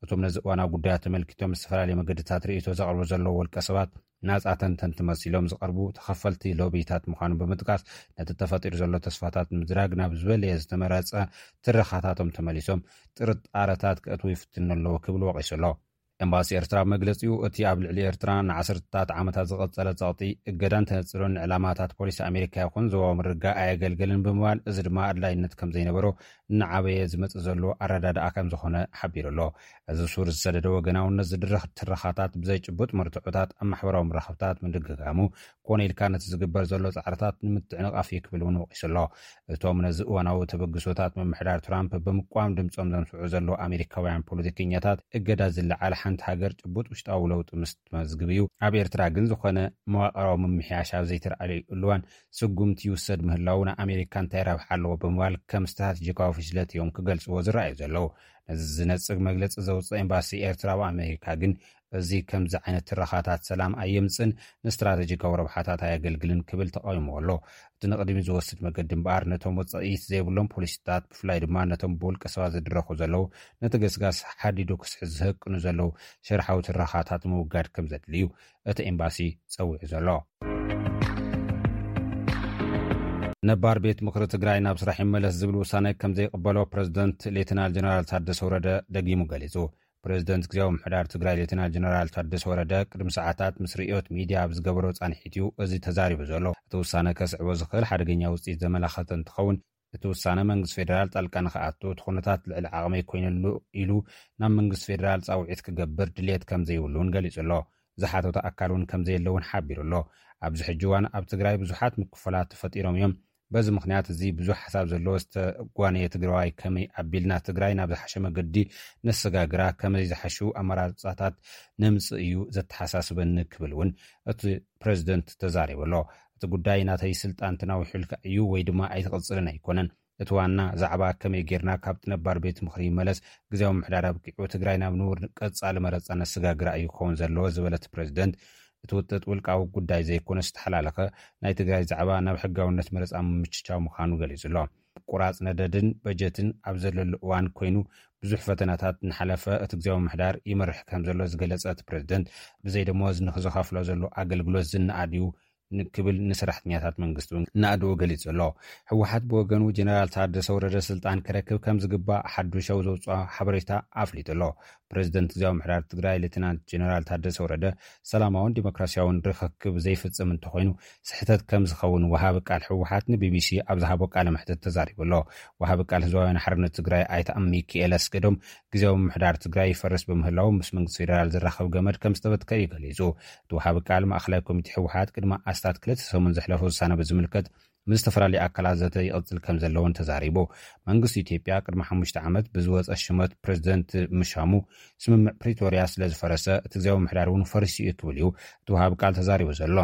እቶም ነዚ እዋናዊ ጉዳያት ተመልኪቶም ዝተፈላለየ መገድታት ርእይቶ ዘቕርቡ ዘለዉ ውልቀ ሰባት፣ ናጻ ተንተንቲ መሲሎም ዝቐርቡ ተኸፈልቲ ሎቢታት ምዃኑ ብምጥቃስ፣ ነቲ ተፈጢሩ ዘሎ ተስፋታት ንምዝራግ ናብ ዝበለየ ዝተመረጸ ትረኻታቶም ተመሊሶም ጥርጣረታት ከእትዉ ይፍትኑ ኣለዉ ክብል ወቒሱ ኣሎ። ኤምባሲ ኤርትራ ኣብ መግለጺኡ፣ እቲ ኣብ ልዕሊ ኤርትራ ንዓሰርተታት ዓመታት ዝቐጸለ ጸቕጢ፣ እገዳን ተነጽሎን ንዕላማታት ፖሊሲ ኣሜሪካ ይኹን ዞባዊ ምርግጋእ ኣየገልገልን ብምባል፣ እዚ ድማ ኣድላይነት ከም ዘይነበሮ እናዓበየ ዝመጽእ ዘሎ ኣረዳድኣ ከም ዝኾነ ሓቢሩ ኣሎ። እዚ ሱር ዝሰደደ ወገናውነት ዝድርኽ ትረኻታት ብዘይ ጭቡጥ መርትዖታት ኣብ ማሕበራዊ መራኸብታት ምድግጋሙ፣ ኮነ ኢልካ ነቲ ዝግበር ዘሎ ጻዕርታት ንምትዕንቓፍ እዩ ክብል እውን ወቒሱ ኣሎ። እቶም ነዚ እዋናዊ ተበግሶታት ምምሕዳር ትራምፕ ብምቋም ድምጾም ዘምስዑ ዘለዉ ኣሜሪካውያን ፖለቲከኛታት፣ እገዳ ዝለዓል ሓንቲ ሃገር ጭቡጥ ውሽጣዊ ለውጢ ምስ ትመዝግብ እዩ። ኣብ ኤርትራ ግን ዝኾነ መዋቕራዊ ምምሕያሽ ኣብ ዘይተረኣለሉ እዋን ስጉምቲ ይውሰድ ምህላዉ ንኣሜሪካ እንታይ ረብሓ ኣለዎ ብምባል ከም ስትራቴጂካዊ ፍሽለት እዮም ክገልጽዎ ዝረኣዩ ዘለዉ። ነዚ ዝነጽግ መግለጺ ዘውጽእ ኤምባሲ ኤርትራ ኣብ ኣሜሪካ ግን፣ እዚ ከምዚ ዓይነት ትረኻታት ሰላም ኣየምጽእን ንስትራቴጂካዊ ረብሓታት ኣየገልግልን ክብል ተቓዊምዎ ኣሎ። እቲ ንቕድሚት ዝወስድ መገዲ እምበኣር፣ ነቶም ውጽኢት ዘይብሎም ፖሊሲታት፣ ብፍላይ ድማ ነቶም ብውልቀ ሰባት ዝድረኹ ዘለዉ፣ ነቲ ገስጋስ ሓዲዱ ክስሕዝ ዝህቅኑ ዘለዉ ሸርሓዊ ትረኻታት ምውጋድ ከም ዘድሊ እዩ እቲ ኤምባሲ ጸዊዑ ዘሎ። ነባር ቤት ምኽሪ ትግራይ ናብ ስራሕ ይመለስ ዝብል ውሳነ ከም ዘይቕበሎ ፕሬዝደንት ሌተናል ጀነራል ታደሰ ወረደ ደጊሙ ገሊጹ። ፕሬዝደንት ግዜያዊ ምምሕዳር ትግራይ ሌተናል ጀነራል ታደሰ ወረደ ቅድሚ ሰዓታት ምስ ርእዮት ሚድያ ኣብ ዝገበሮ ጻንሒት እዩ እዚ ተዛሪቡ ዘሎ። እቲ ውሳነ ከስዕቦ ዝኽእል ሓደገኛ ውጽኢት ዘመላኸተ እንትኸውን፣ እቲ ውሳነ መንግስቲ ፌደራል ጣልቃ ንኽኣቱ፣ እቲ ኩነታት ልዕሊ ዓቕመይ ኮይኑሉ ኢሉ ናብ መንግስቲ ፌደራል ጻውዒት ክገብር ድልየት ከም ዘይብሉ እውን ገሊጹ ኣሎ። ዝሓተተ ኣካል እውን ከም ዘየለ እውን ሓቢሩ ኣሎ። ኣብዚ ሕጂ እዋን ኣብ ትግራይ ብዙሓት ምክፍፋላት ተፈጢሮም እዮም። በዚ ምኽንያት እዚ ብዙሕ ሓሳብ ዘለዎ ዝተጓነየ ትግራዋይ ከመይ ኣቢልና ትግራይ ናብ ዝሓሸ መገዲ ነሰጋግራ፣ ከመይ ዝሓሹ ኣመራርጻታት ነምጽእ እዩ ዘተሓሳስበኒ ክብል እውን እቲ ፕሬዝደንት ተዛሪቡ ኣሎ። እቲ ጉዳይ ናተይ ስልጣን ተናዊሑልካ እዩ ወይ ድማ ኣይትቕጽልን ኣይኮነን። እቲ ዋና ዛዕባ ከመይ ጌርና ካብቲ ነባር ቤት ምኽሪ ይመለስ፣ ግዜያዊ ምምሕዳር ኣብቂዑ፣ ትግራይ ናብ ንቡር ቀጻሊ መረጻ ነሰጋግራ እዩ ክኸውን ዘለዎ ዝበለ እቲ ፕሬዝደንት፣ እቲ ውጥጥ ውልቃዊ ጉዳይ ዘይኮነ ዝተሓላለኸ ናይ ትግራይ ዛዕባ ናብ ሕጋውነት መረጻ ምምችቻው ምዃኑ ገሊጹ ኣሎ። ቁራጽ ነደድን በጀትን ኣብ ዘለሉ እዋን ኮይኑ ብዙሕ ፈተናታት እናሓለፈ እቲ ግዜያዊ ምምሕዳር ይመርሕ ከም ዘሎ ዝገለጸ እቲ ፕሬዝደንት፣ ብዘይ ደሞዝ ንኽዝኸፍሎ ዘሎ ኣገልግሎት ዝነኣድ እዩ ን-፣ ክብል ንሰራሕተኛታት መንግስቲ እውን ናእድኡ ገሊጹ ኣሎ። ህወሓት ብወገኑ ጀነራል ታደሰ ወረደ ስልጣን ክረክብ ከም ዝግባእ ሓዱሽ ኣብ ዘውፅኦ ሓበሬታ ኣፍሊጡ ኣሎ። ፕሬዝደንት ግዜያዊ ምምሕዳር ትግራይ ሌተናንት ጀነራል ታደሰ ወረደ ሰላማውን ዲሞክራሲያውን ርኽክብ ዘይፍጽም እንተኾይኑ ስሕተት ከም ዝኸውን ወሃቢ ቃል ህወሓት ንቢቢሲ ኣብ ዝሃቦ ቃለ መሕትት ተዛሪቡ ኣሎ። ወሃቢ ቃል ህዝባውያን ሓርነት ትግራይ ኣይተ ሚኪኤል ኣስገዶም ግዜያዊ ምምሕዳር ትግራይ ይፈርስ ብምህላው ምስ መንግስቲ ፌደራል ዝራኸብ ገመድ ከም ዝተበትከ እዩ ገሊጹ። እቲ ወሃቢ ቃል ማእኸላይ ኮሚቴ ህወሓት ቅድሚ ኣስታት ክልተ ሰሙን ዘሕለፎ ውሳነ ብዝምልከት ምስ ዝተፈላለዩ ኣካላት ዘተ ይቕጽል ከም ዘለውን ተዛሪቡ። መንግስቲ ኢትዮጵያ ቅድሚ ሓሙሽተ ዓመት ብዝወጸ ሽመት ፕሬዝደንት ምሻሙ ስምምዕ ፕሪቶርያ ስለ ዝፈረሰ እቲ ግዜያዊ ምምሕዳር እውን ፈሪሱ እዩ ክብል እዩ እቲ ወሃቢ ቃል ተዛሪቡ ዘሎ።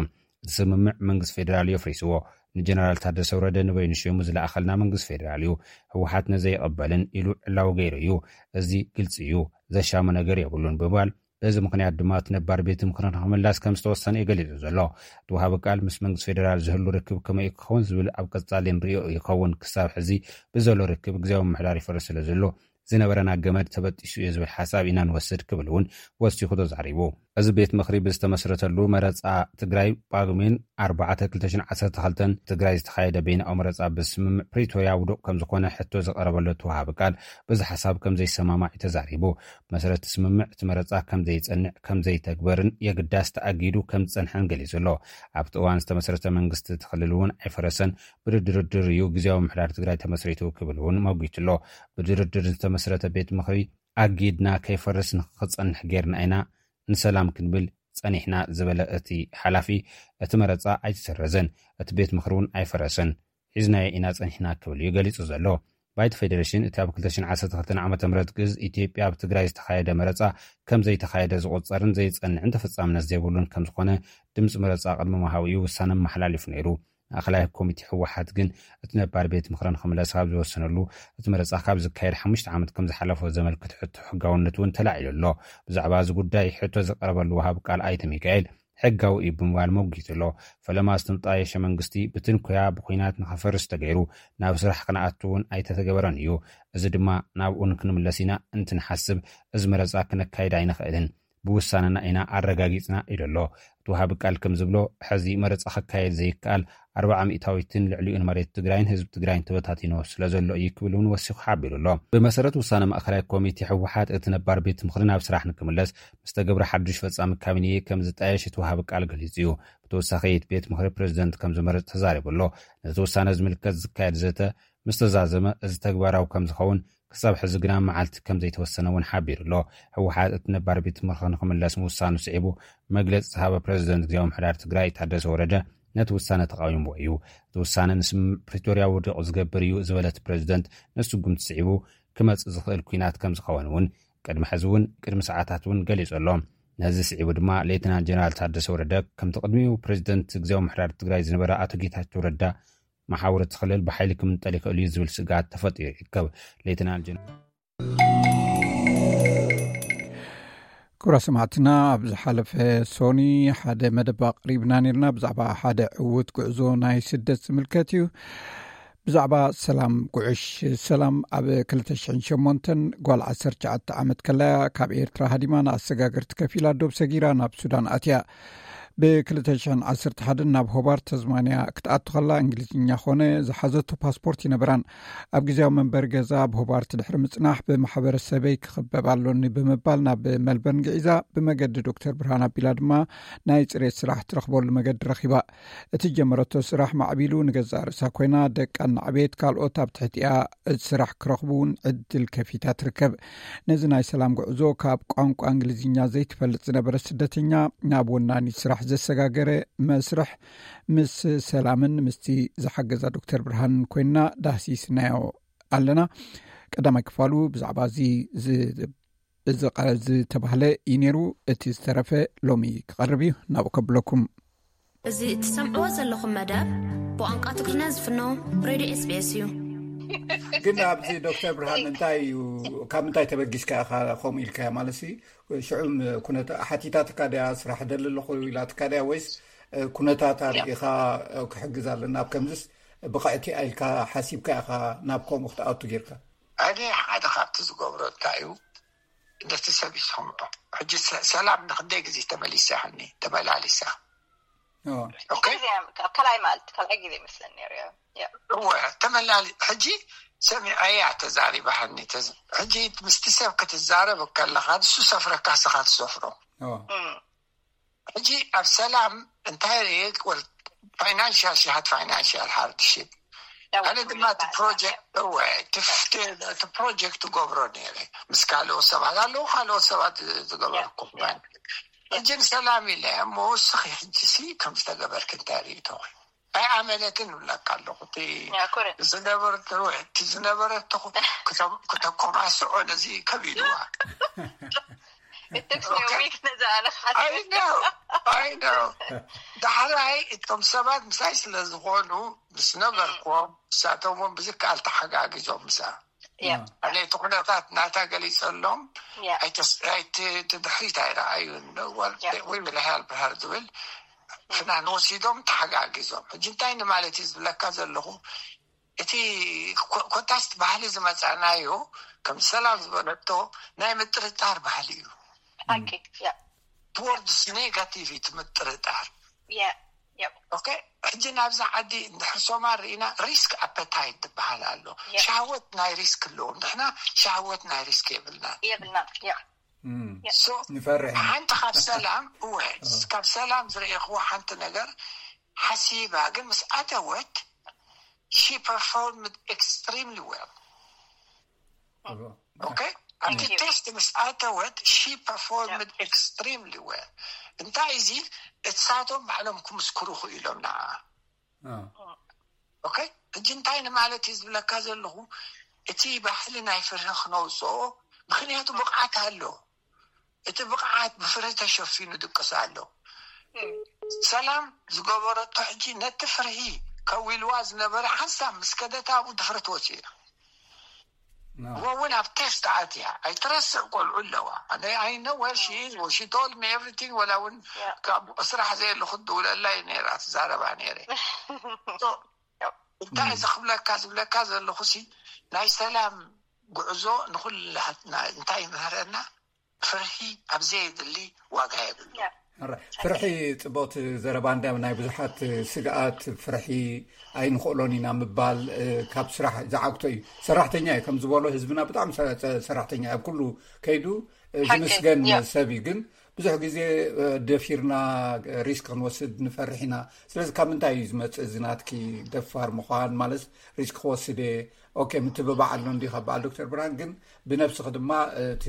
እቲ ስምምዕ መንግስቲ ፌደራል እዩ ኣፍሪስዎ። ንጀነራል ታደሰ ወረደ ንበይኑ ሸይሙ ዝለኣኸልና መንግስቲ ፌደራል እዩ። ህወሓት ነዚ ኣይቕበልን ኢሉ ዕላዊ ገይሩ እዩ። እዚ ግልፂ እዩ። ዘሻሙ ነገር የብሉን ብምባል በዚ ምኽንያት ድማ እቲ ነባር ቤት ምኽሪ ንኽምላስ ከም ዝተወሰነ እዩ ገሊጹ ዘሎ። እቲ ወሃቢ ቃል ምስ መንግስቲ ፌደራል ዝህሉ ርክብ ከመይ ክኸውን ዝብል ኣብ ቀጻሊ ንርእዮ ይኸውን። ክሳብ ሕዚ ብዘሎ ርክብ ግዜያዊ ምምሕዳር ይፈርስ ስለ ዘሎ ዝነበረና ገመድ ተበጢሱ እዩ ዝብል ሓሳብ ኢና ንወስድ ክብል እውን ወሲኹ ተዛሪቡ። እዚ ቤት ምኽሪ ብዝተመስረተሉ መረፃ ትግራይ ጳጉሜን ኣርባዕተ ክልተ ሽሕን ዓሰርተ ክልተን ትግራይ ዝተኻየደ በይናዊ መረፃ ብስምምዕ ፕሪቶርያ ውዱቕ ከም ዝኾነ ሕቶ ዝቐረበሉ እቲ ወሃቢ ቃል፣ በዚ ሓሳብ ከም ዘይሰማማዕ እዩ ተዛሪቡ። ብመሰረት እቲ ስምምዕ እቲ መረፃ ከም ዘይፀንዕ፣ ከም ዘይተግበርን የግዳስ ተኣጊዱ ከም ዝፀንሐን ገሊጹ ኣሎ። ኣብቲ እዋን ዝተመስረተ መንግስቲ እቲ ክልል እውን ኣይፈረሰን፣ ብድርድር እዩ ግዝያዊ ምምሕዳር ትግራይ ተመስሪቱ ክብል እውን መጒቱ ኣሎ። ብድርድር ዝተመስረተ ቤት ምኽሪ ኣጊድና ከይፈርስ ንክፀንሕ ጌርና ኢና፣ ንሰላም ክንብል ጸኒሕና ዝበለ እቲ ሓላፊ፣ እቲ መረጻ ኣይተሰረዘን፣ እቲ ቤት ምኽሪ እውን ኣይፈረሰን፣ ሒዝናዮ ኢና ጸኒሕና ክብል እዩ ገሊጹ ዘሎ። ባይቶ ፌደሬሽን እቲ ኣብ ክልተ ሽሕን ዓሰርተ ክልተን ዓመተ ምህረት ግእዝ ኢትዮጵያ ኣብ ትግራይ ዝተኻየደ መረጻ ከም ዘይተኻየደ ዝቑጸርን ዘይጸንዕን ተፈጻምነት ዘይብሉን ከም ዝኾነ ድምጺ መረጻ ቅድሚ ምሃቡ እዩ ውሳነ ኣመሓላሊፉ ነይሩ። ማእኸላይ ኮሚቴ ህወሓት ግን እቲ ነባር ቤት ምኽሪ ንኽምለስ ካብ ዝወሰነሉ እቲ መረፃ ካብ ዝካየድ ሓሙሽተ ዓመት ከም ዝሓለፎ ዘመልክት ሕቶ ሕጋውነት እውን ተላዒሉ ኣሎ። ብዛዕባ እዚ ጉዳይ ሕቶ ዝቀረበሉ ወሃቢ ቃል ኣይተ ሚካኤል ሕጋዊ እዩ ብምባል መጒቱ ኣሎ። ፈለማ ዝተጣየሸ መንግስቲ ብትንኮያ ብኹናት ንኸፈርስ ተገይሩ ናብ ስራሕ ክነኣቱ እውን ኣይተተገበረን እዩ። እዚ ድማ ናብኡ ንክንምለስ ኢና እንትንሓስብ እዚ መረፃ ክነካይድ ኣይንኽእልን። ብውሳነና ኢና ኣረጋጊፅና ኢሉ ኣሎ። እቲ ወሃቢ ቃል ከም ዝብሎ፣ ሕዚ መረፃ ክካየድ ዘይከኣል ኣርብዓ ሚእታዊትን ልዕሊኡን መሬት ትግራይን ህዝቢ ትግራይን ተበታቲኑ ስለ ዘሎ እዩ ክብል እውን ወሲኹ ሓቢሩ ኣሎ። ብመሰረት ውሳነ ማእኸላይ ኮሚቴ ህወሓት እቲ ነባር ቤት ምኽሪ ናብ ስራሕ ንክምለስ ምስ ተገብረ ሓዱሽ ፈፃሚ ካቢኔ ከም ዝጣየሽ እቲ ወሃቢ ቃል ገሊፁ እዩ። ብተወሳኺ እቲ ቤት ምኽሪ ፕሬዚደንት ከም ዝመርፅ ተዛሪቡ ኣሎ። ነቲ ውሳነ ዝምልከት ዝካየድ ዘተ ምስ ተዛዘመ እዚ ተግባራዊ ከም ዝኸውን ክሳብ ሕዚ ግና መዓልቲ ከም ዘይተወሰነ እውን ሓቢሩ ኣሎ። ህወሓት እቲ ነባር ቤት ምኽሪ ንክምለስ ምውሳኑ ስዒቡ መግለፂ ዝሃበ ፕሬዚደንት ግዝያዊ ምምሕዳር ትግራይ ታደሰ ወረደ ነቲ ውሳነ ተቃዊምዎ እዩ። እቲ ውሳነ ንስምምዕ ፕሪቶርያ ውዱቕ ዝገብር እዩ ዝበለ እቲ ፕሬዚደንት ነቲ ስጉምቲ ስዒቡ ክመፅእ ዝኽእል ኲናት ከም ዝኸውን እውን ቅድሚ ሕዚ እውን ቅድሚ ሰዓታት እውን ገሊፁ ኣሎ። ነዚ ስዒቡ ድማ ሌተናል ጀነራል ታደሰ ወረደ ከምቲ ቅድሚኡ ፕሬዚደንት ግዝያዊ ምምሕዳር ትግራይ ዝነበረ ኣቶ ጌታቸው ረዳ መሓውር እቲ ክልል ብሓይሊ ክምንጠል ይኽእል እዩ ዝብል ስግኣት ተፈጢሩ ይርከብ። ሌተናል ጀነራል ክቡራት ሰማዕትና፣ ኣብ ዝሓለፈ ሶኒ ሓደ መደብ ኣቕሪብና ነርና ብዛዕባ ሓደ ዕዉት ጉዕዞ ናይ ስደት ዝምልከት እዩ። ብዛዕባ ሰላም ጉዕሽ። ሰላም ኣብ ክልተ ሽሕን ሸሞንተን ጓል ዓሰርተ ትሽዓተ ዓመት ከላያ ካብ ኤርትራ ሃዲማ ንኣሰጋገርቲ ከፊላ ዶብ ሰጊራ ናብ ሱዳን ኣትያ። ብ ክልተ ሽሕን ዓሰርተ ሓደን ናብ ሆባርት ተዝማንያ ክትኣቱ ከላ እንግሊዝኛ ኮነ ዝሓዘቶ ፓስፖርት ይነበራን። ኣብ ግዜያዊ መንበሪ ገዛ ኣብ ሆባርት ድሕሪ ምጽናሕ ብማሕበረሰበይ ክኽበብ ኣሎኒ ብምባል ናብ መልበርን ግዒዛ። ብመገዲ ዶክተር ብርሃን ኣቢላ ድማ ናይ ጽሬት ስራሕ ትረኽበሉ መገዲ ረኺባ። እቲ ጀመረቶ ስራሕ ማዕቢሉ ንገዛእ ርእሳ ኮይና ደቃ እናዕበየት ካልኦት ኣብ ትሕቲኣ ስራሕ ክረኽቡ እውን ዕድል ከፊታ ትርከብ። ነዚ ናይ ሰላም ጉዕዞ ካብ ቋንቋ እንግሊዝኛ ዘይትፈልጥ ዝነበረ ስደተኛ ናብ ወናኒ ስራሕ ዘሰጋገረ መስርሕ ምስ ሰላምን ምስቲ ዝሓገዛ ዶክተር ብርሃንን ኮይና ዳህሲስናዮ ኣለና። ቀዳማይ ክፋሉ ብዛዕባ እዚ ዝ-፣ እዚ ቃ-፣ ዝተባህለ እዩ ነይሩ። እቲ ዝተረፈ ሎሚ ክቐርብ እዩ። ናብኡ ከብለኩም። እዚ እትሰምዕዎ ዘለኹም መደብ ብቋንቋ ትግርኛ ዝፍኖ ሬድዮ ኤስ ቢ ኤስ እዩ። ግን ኣብዚ ዶክተር ብርሃን እንታይ እዩ፣ ካብ ምንታይ ተበጊስካ ኢኻ ከምኡ ኢልካዮ? ማለት ሲ ሽዑም ኩነታ ሓቲታትካ ድያ፣ ስራሕ ደሊ ኣለኹ ኢላትካ ድያ፣ ወይስ ኩነታት ኣርኢኻ ክሕግዝ ኣለና ኣብ ከምዝስ ብቕዕቲ ኢልካ ሓሲብካ ኢኻ ናብ ከምኡ ክትኣቱ ጌርካ? ኣነ ሓደ ካብቲ ዝገብሮ እንታይ እዩ፣ ነቲ ሰብ ይሰምዖ። ሕጂ ሰ-፣ ሰላም ንክንደይ ግዜ ተመሊሳ ይሃኒ፣ ተመላሊሳ። ኦ። ኦኬ? ግዜ፣ ካብ ካልኣይ መዓልቲ፣ ካልኣይ ግዜ ይመስለኒ ነይሩ፣ ያ። ያ። እወ፣ ተመላሊ-፣ ሕጂ ሰሚዐያ ተዛሪባሃኒ፣ ተዝ-፣ ሕጂ ምስቲ ሰብ ክትዛረብ ከለኻ ንሱ ሰፍረካ ስኻ ትሰፍሮ። ኦ። እም። ሕጂ ኣብ ሰላም እንታይ ርኤ፣ ወል-፣ ፋይናንሻል፣ she had financial hardship። ያው ኣነ ድማ እቲ ፋይናንሻል ፕሮጀክት፣ እወ፣ እቲ ፍት-፣ እቲ ፕሮጀክት ትገብሮ ነይረ። ምስ ካልኦት ሰባት ኣለዉ፣ ካልኦት ሰባት ዝገበርኩ ያ፣ ያ። ሕጂ ንሰላም ኢለ እሞ፣ እስኺ ሕጂ ሲ ከም ዝተገበርክ እንታይ ርኢቶ? ኣይ ኣመለትን እብለካ ኣለኹ። እቲ ያ፣ ኮረ። ዝነበረ፣ እቲ ዝነበረ ተኹ-፣ ክተ-፣ ክተኮማስዖ ነዚ ከቢድዋ። It took me a ኦኬ። ዊክ ነዛ ኣነ ክሓስብ። I know, I know። ዳሕራይ እቶም ሰባት ምሳይ ስለ ዝኾኑ ምስ ነበርኩዎም፣ ንሳቶም እውን ብዝከኣል ተሓጋጊዞም ምሳ። ያ። ኣነ እቲ ኩነታት ናታ ገሊጸሎም፣ ያ። ኣይተስ-፣ ኣይት-፣ እቲ ድሕሪት ኣይረኣዩን። Well፣ ያ። We will help her ዝብል ፍናን ወሲዶም ተሓጋጊዞም። ሕጂ እንታይ ንማለት እዩ ዝብለካ ዘለኹ፣ እቲ ኮ-፣ ኮታስ ባህሊ ዝመጻእናዮ፣ ከም ሰላም ዝበለቶ፣ ናይ ምጥርጣር ባህሊ እዩ። ሓቂ፣ ያ። words negative እዩ እቲ ምጥርጣር። Yeah, yeah. ኦኬ፣ ሕጂ ናብዛ ዓዲ እንድሕር ሶማል ርኢና፣ ሪስክ ኣፐታይት ዝበሃል ኣሎ። Yeah. ሻህወት ናይ ሪስክ ኣለዎ። ንሕና ሻህወት ናይ ሪስክ የብልና። የብልና። Yeah. እም፣ Yeah. So ንፈርሕ ኢና። ሓንቲ ካብ ሰላም እወ፣ ካብ ሰላም ዝረእኽዎ ሓንቲ ነገር ሓሲባ፣ ግን ምስ ኣተወት she performed extremely well. እዎ። Okay? ኣብቲ Thank you. ቴስት ምስ ኣተወት she performed Yeah. extremely well። እንታይ እዚ እሳቶም ባዕሎም ክምስክሩ ክኢሎም ንዓ። አ፣ ኦኬ፣ ሕጂ እንታይ ንማለት እዩ ዝብለካ ዘለኹ? እቲ ባህሊ ናይ ፍርሂ ክነውፅኦ፣ ምክንያቱ ብቕዓት ኣሎ። እቲ ብቕዓት ብፍርሂ ተሸፊኑ ድቅስ ኣሎ። Mm. ሰላም ዝገበረቶ ሕጂ ነቲ ፍርሂ ከዊልዋ ዝነበረ ሓንሳብ ምስ ከደታ ኣብኡ ድፍረት ወፂኡ። ና። እወ እውን ኣብ ቴስት ኣትያ ኣይትረስዕ፣ ቆልዑ ኣለዋ። ኣነ I know where she is, she told me everything። ወላ እውን Yeah. ካብ ስራሕ ዘየለኹ ትድውለላ እዩ ነይራ፣ ትዛረባ ነይረ። So፣ እንታይ እዚ ክብለካ ዝብለካ ዘለኹ ሲ፣ ናይ ሰላም ጉዕዞ ንኹላትና እንታይ ይምህረና? ፍርሂ ኣብ ዘየድሊ ዋጋ የብሉ። Yeah. ሕራይ። ፍርሒ ጽቡቕቲ ዘረባ፣ እንዲያም ናይ ብዙሓት ስግኣት ፍርሒ ኣይንኽእሎን ኢና ምባል፣ እ፣ ካብ ስራሕ ዝዓግቶ እዩ። ሰራሕተኛ እዩ፣ ከም ዝበሎ ህዝብና ብጣዕሚ ሰ-፣ ሰ-፣ ሰራሕተኛ እዩ። ኣብ ኩሉ ከይዱ፣ እ፣ ሓቂ፣ ዝምስገን ያ። ሰብ እዩ። ግን ብዙሕ ግዜ፣ እ፣ ደፊርና ሪስክ ክንወስድ ንፈርሕ ኢና። ስለዚ ካብ ምንታይ እዩ ዝመጽእ እዚ ናትኪ ደፋር ምዃን? ማለት ሪስክ ክወስድ እየ፣ ኦኬ፣ ምትብባዕ ኣሎ እንዲ ካብ በዓል ዶክተር ብርሃን፣ ግን ብነብስኺ ድማ፣ እ፣ እቲ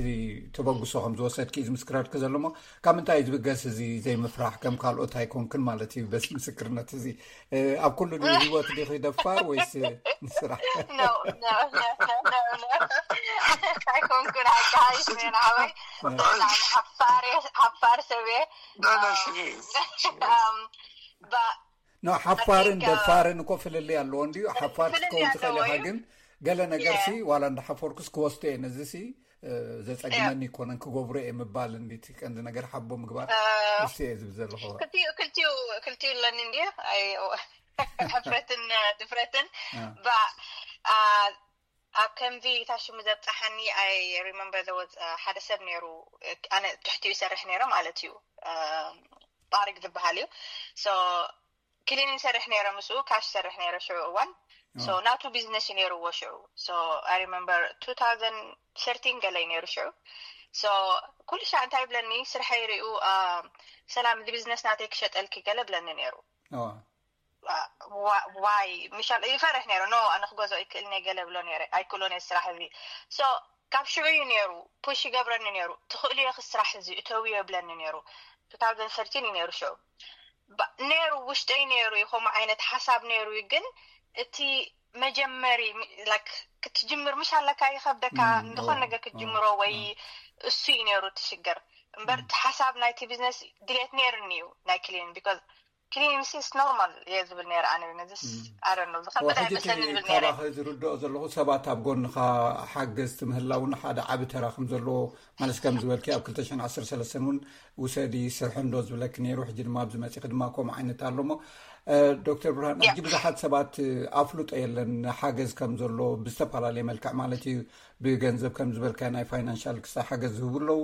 ተበግሶ ከም ዝወሰድኪ እዩ ዝምስክረልኪ ዘሎ። እሞ ካብ ምንታይ እዩ ዝብገስ እዚ ዘይምፍራሕ? ከም ካልኦት ኣይኮንክን ማለት እዩ በዚ ምስክርነት እዚ። እ፣ ኣብ ኩሉ ድዩ ህይወት ዲኺ ደፋር ወይስ ንስራሕ? No, no, no, no, no, no. ኣይኮንኩን፣ ሓቂ ሓይሽ ነን ኣበይ። ብጣዕሚ ሓፋር፣ ሓፋር ሰብ እየ። No, no, she is. She is. Um, but ኖ፣ ሓፋርን I think, uh, ደፋርን እኮ ፍልልይ ኣለዎ እንድዩ። ሓፋር ፍልልይ ክትከውን ትኽእል ኢኻ፣ ኣለዎ እዩ። ግን ገለ ነገር ሲ Yeah. ዋላ እንዳሓፈርኩስ ክወስዶ እየ፣ ነዚ ሲ፣ እ፣ ዘጸግመኒ ይኮነን፣ ክገብሮ እየ ምባል እንዲ እቲ ቀንዲ ነገር፣ ሓቦ ምግባር Uh, እስቲ እየ ዝብል ዘለኹ። ክልቲኡ፣ ክልቲኡ፣ ክልቲኡ ኣለኒ እንድዩ። ኣይ፣ ሕፍረትን ድፍረትን። ያ። But, uh, ኣብ ከምዚ ታሽሙ ዘብጻሓኒ፣ I remember there was, uh, ሓደ ሰብ ነይሩ፣ ኣነ ትሕቲኡ ይሰርሕ ነይረ ማለት እዩ። Um, ጣሪቅ ዝበሃል እዩ። So ክሊኒንግ ይሰርሕ ነይረ፣ ምስኡ ካሽ ይሰርሕ ነይረ ሽዑ እዋን። So ኦ። ናቱ ቢዝነስ እዩ ነይርዎ ሽዑ። So I remember two thousand thirteen ገለ እዩ ነይሩ ሽዑ። So ኩሉ ሻዕ እንታይ ይብለኒ፣ ስርሐይ ሪኡ፣ አ፣ "ሰላም፣ እዚ ቢዝነስ ናተይ ክሸጠልኪ" ገለ ብለኒ ነይሩ። ኦ። ዋ-፣ ዋ-፣ ዋይ፣ ምሻል ይፈርሕ ነይሩ። "ኖ፣ ኣነ ክገዝኦ ይክእል ነይ" ገለ ብሎ ነይረ። ኣይክእሎን እየ ስራሕ እዚ። So ካብ ሽዑ እዩ ነይሩ፣ ፑሽ ይገብረኒ ነይሩ። "ትኽእልዮ፣ ክስራሕ እዚ እተውዮ" ይብለኒ ነይሩ። two thousand thirteen እዩ ነይሩ ሽዑ። ባ-፣ ነይሩ፣ ውሽጠይ ነይሩ እዩ፣ ከምኡ ዓይነት ሓሳብ ነይሩ እዩ። ግን እቲ መጀመሪ፣ ሚ-፣ ላይክ፣ ክትጅምር ምሽ ኣለካ፣ ይኸብደካ፣ እም፣ ንኾን እዋ፣ ነገር ክትጅምሮ እዋ፣ ወይ እዋ። እሱ እዩ ነይሩ እቲ ሽግር። እምበር እም። እቲ ሓሳብ ናይቲ ቢዝነስ ድሌት ነይሩኒ እዩ፣ ናይ ክሊን፣ ቢኮዝ ክሊን ሲ is normal እየ ዝብል ነይረ ኣነ። ነዚስ፣ እም። I don't know፣ ዝኸበደ እዋ፣ ሕጂ እቲ ኣይመስለኒ ዝብል ነይረ። ካባኸ ዝርድኦ ዘለኹ ሰባት ኣብ ጎንኻ ሓገዝቲ ምህላውን ሓደ ዓቢ ተራ ከም ዘለዎ፣ ማለት ከም ዝበልኪ ኣብ ክልተ ሽሕን ዓሰርተ ሰለስተን እውን ውሰዲ ስርሒ እንዶ ዝብለኪ ነይሩ። ሕጂ ድማ ኣብዚ መጺኺ ድማ ከምኡ ዓይነት ኣሎ። እሞ፣ እ፣ ዶክተር ብርሃን፣ ያ። ሕጂ ብዙሓት ሰባት፣ እ፣ ኣፍልጦ የለን ሓገዝ ከም ዘሎ ብዝተፈላለየ መልክዕ ማለት እዩ፣ ብገንዘብ ከም ዝበልካ ናይ ፋይናንሻል ክሳ ሓገዝ ዝህቡ ኣለዉ፣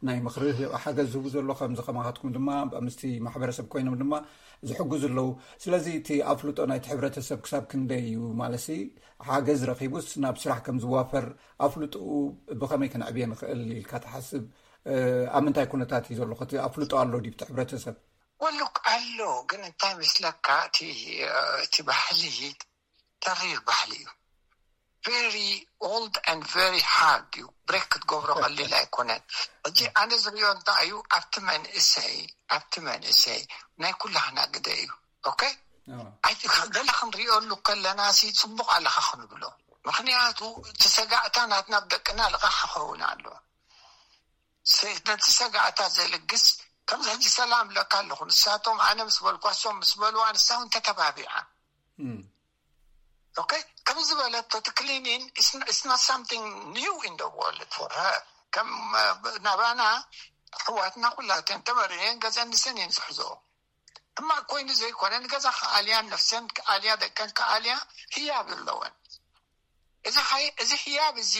ናይ ምኽሪ ሓገዝ ዝህቡ ዘሎ፣ ከምዚ ከማኻትኩም ድማ ምስቲ ማሕበረሰብ ኮይኖም ድማ ዝሕግዙ ኣለዉ። ስለዚ እቲ ኣፍልጦ ናይቲ ሕብረተሰብ ክሳብ ክንደይ እዩ? ማለትሲ ሓገዝ ረኺቡስ ናብ ስራሕ ከም ዝዋፈር ኣፍልጦኡ ብኸመይ ከነዕብየ ንኽእል ኢልካ ትሓስብ? እ፣ ኣብ ምንታይ ኩነታት እዩ ዘሎ? እቲ ኣፍልጦ ኣሎ ድዩ እቲ ሕብረተሰብ? ወሉክ ኣሎ፣ ግን እንታይ መስለካ፣ እቲ፣ እቲ ባህሊ ተሪር ባህሊ እዩ። Very old and very hard እዩ። ብሬክ ክትገብሮ ቀሊል ኣይኮነን። ሕጂ ኣነ ዝሪኦ እንታይ እዩ፣ ኣብቲ መንእሰይ፣ ኣብቲ መንእሰይ ናይ ኩላህና ግደ እዩ። ኦኬ? ኣዎ። ኣይ፣ ገለ ክንሪኦሉ ከለና ሲ ጽቡቕ ኣለኻ ክንብሎ። ምኽንያቱ እቲ ሰጋእታ ናትና ብደቅና ልቓሕ ክኸውን ኣሎ። ስ-፣ ነቲ ሰጋእታ ዘልግስ፣ ከምዚ ሕጂ ሰላም ለካ ኣለኹ፣ ንሳቶም ኣነ ምስ በልኳ፣ እሶም ምስ በልዋ፣ ንሳ እውን ተተባቢዓ። እም። ኦኬ? ከም ዝበለቶ፣ እቲ ክሊኒን፣ it's n-, it's not something new in the world for her። ከም፣ እ፣ ናባና ኣሕዋትና ኩላተን ተመሪረን ገዘን ንሰን እየን ዝሕዝኦ። ሕማቕ ኮይኑ ዘይኮነ፣ ንገዛ ክኣልያ፣ ነፍሰን ክኣልያ፣ ደቀን ክኣልያ ህያብ ኣለወን። እዚ ሓይ-፣ እዚ ህያብ እዚ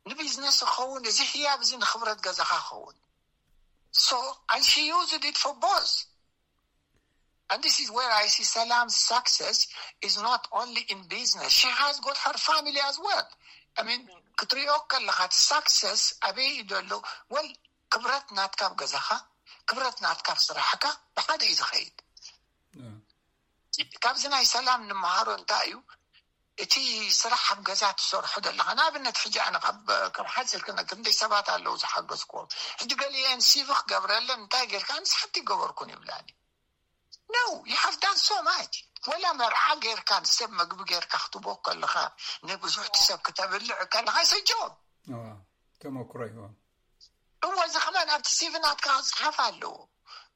ንቢዝነስ ክኸውን፣ እዚ ህያብ እዚ ንኽብረት ገዛኻ ክኸውን። So, and she used it for both. And this is where I see Salam's success is not only in business. She has got her family as well. I mean, ክትሪኦ ከለኻ እቲ success ኣበይ እዩ ዘሎ? Well, ክብረት ናትካ ኣብ ገዛኻ፣ ክብረት ናትካ ኣብ ስራሕካ ብሓደ እዩ ዝኸይድ። ካብዚ ናይ ሰላም ንምሃሮ እንታይ እዩ? እቲ ስራሕ ኣብ ገዛ ትሰርሖ ዘለኻ፣ ንኣብነት ሕጂ ኣነ ካብ ካብ ሓፂር ክነ ክንደይ ሰባት ኣለዉ ዝሓገዝኩዎም። ሕጂ ገሊአን ሲቪ ክገብረለን እንታይ ጌርካ? ንስሓቲ ይገበርኩን ይብላኒ። No, you have done so much. ወላ መርዓ ጌርካ ንሰብ መግቢ ጌርካ ክትቦ ከለኻ፣ ንብዙሕቲ ሰብ ክተብልዕ ከለኻ ሰጆም ተመክሮ ይሆን? እወ፣ እዚ ከማን ኣብቲ ሲቪ ናትካ ክፅሓፍ ኣለዎ።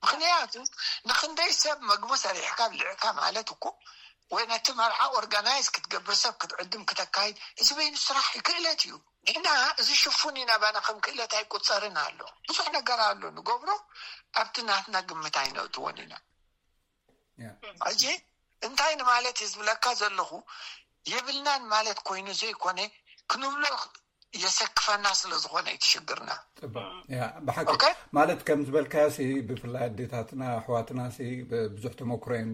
ምክንያቱ ንክንደይ ሰብ መግቢ ሰሪሕካ ብልዕካ ማለት እኮ፣ ወይ ነቲ መርዓ ኦርጋናይዝ ክትገብር፣ ሰብ ክትዕድም፣ ክተካይድ፣ እዚ በይኑ ስራሕ ክእለት እዩ። ንሕና እዚ ሽፉን ኢና ባና ከም ክእለት ኣይቁፀርን ኣሎ። ብዙሕ ነገር ኣሎ ንገብሮ፣ ኣብቲ ናትና ግምት ኣይነእትዎን ኢና። ሕጂ እንታይ ንማለት እየ ዝብለካ ዘለኹ? የብልናን ማለት ኮይኑ ዘይኮነ፣ ክንብሎ የሰክፈና ስለ ዝኾነ እዩ እቲ ሽግርና። ብሓቂ ማለት ከም ዝበልካዮ፣ ብፍላይ ኣዴታትና ኣሕዋትና ብዙሕ ተመክሮ እየን።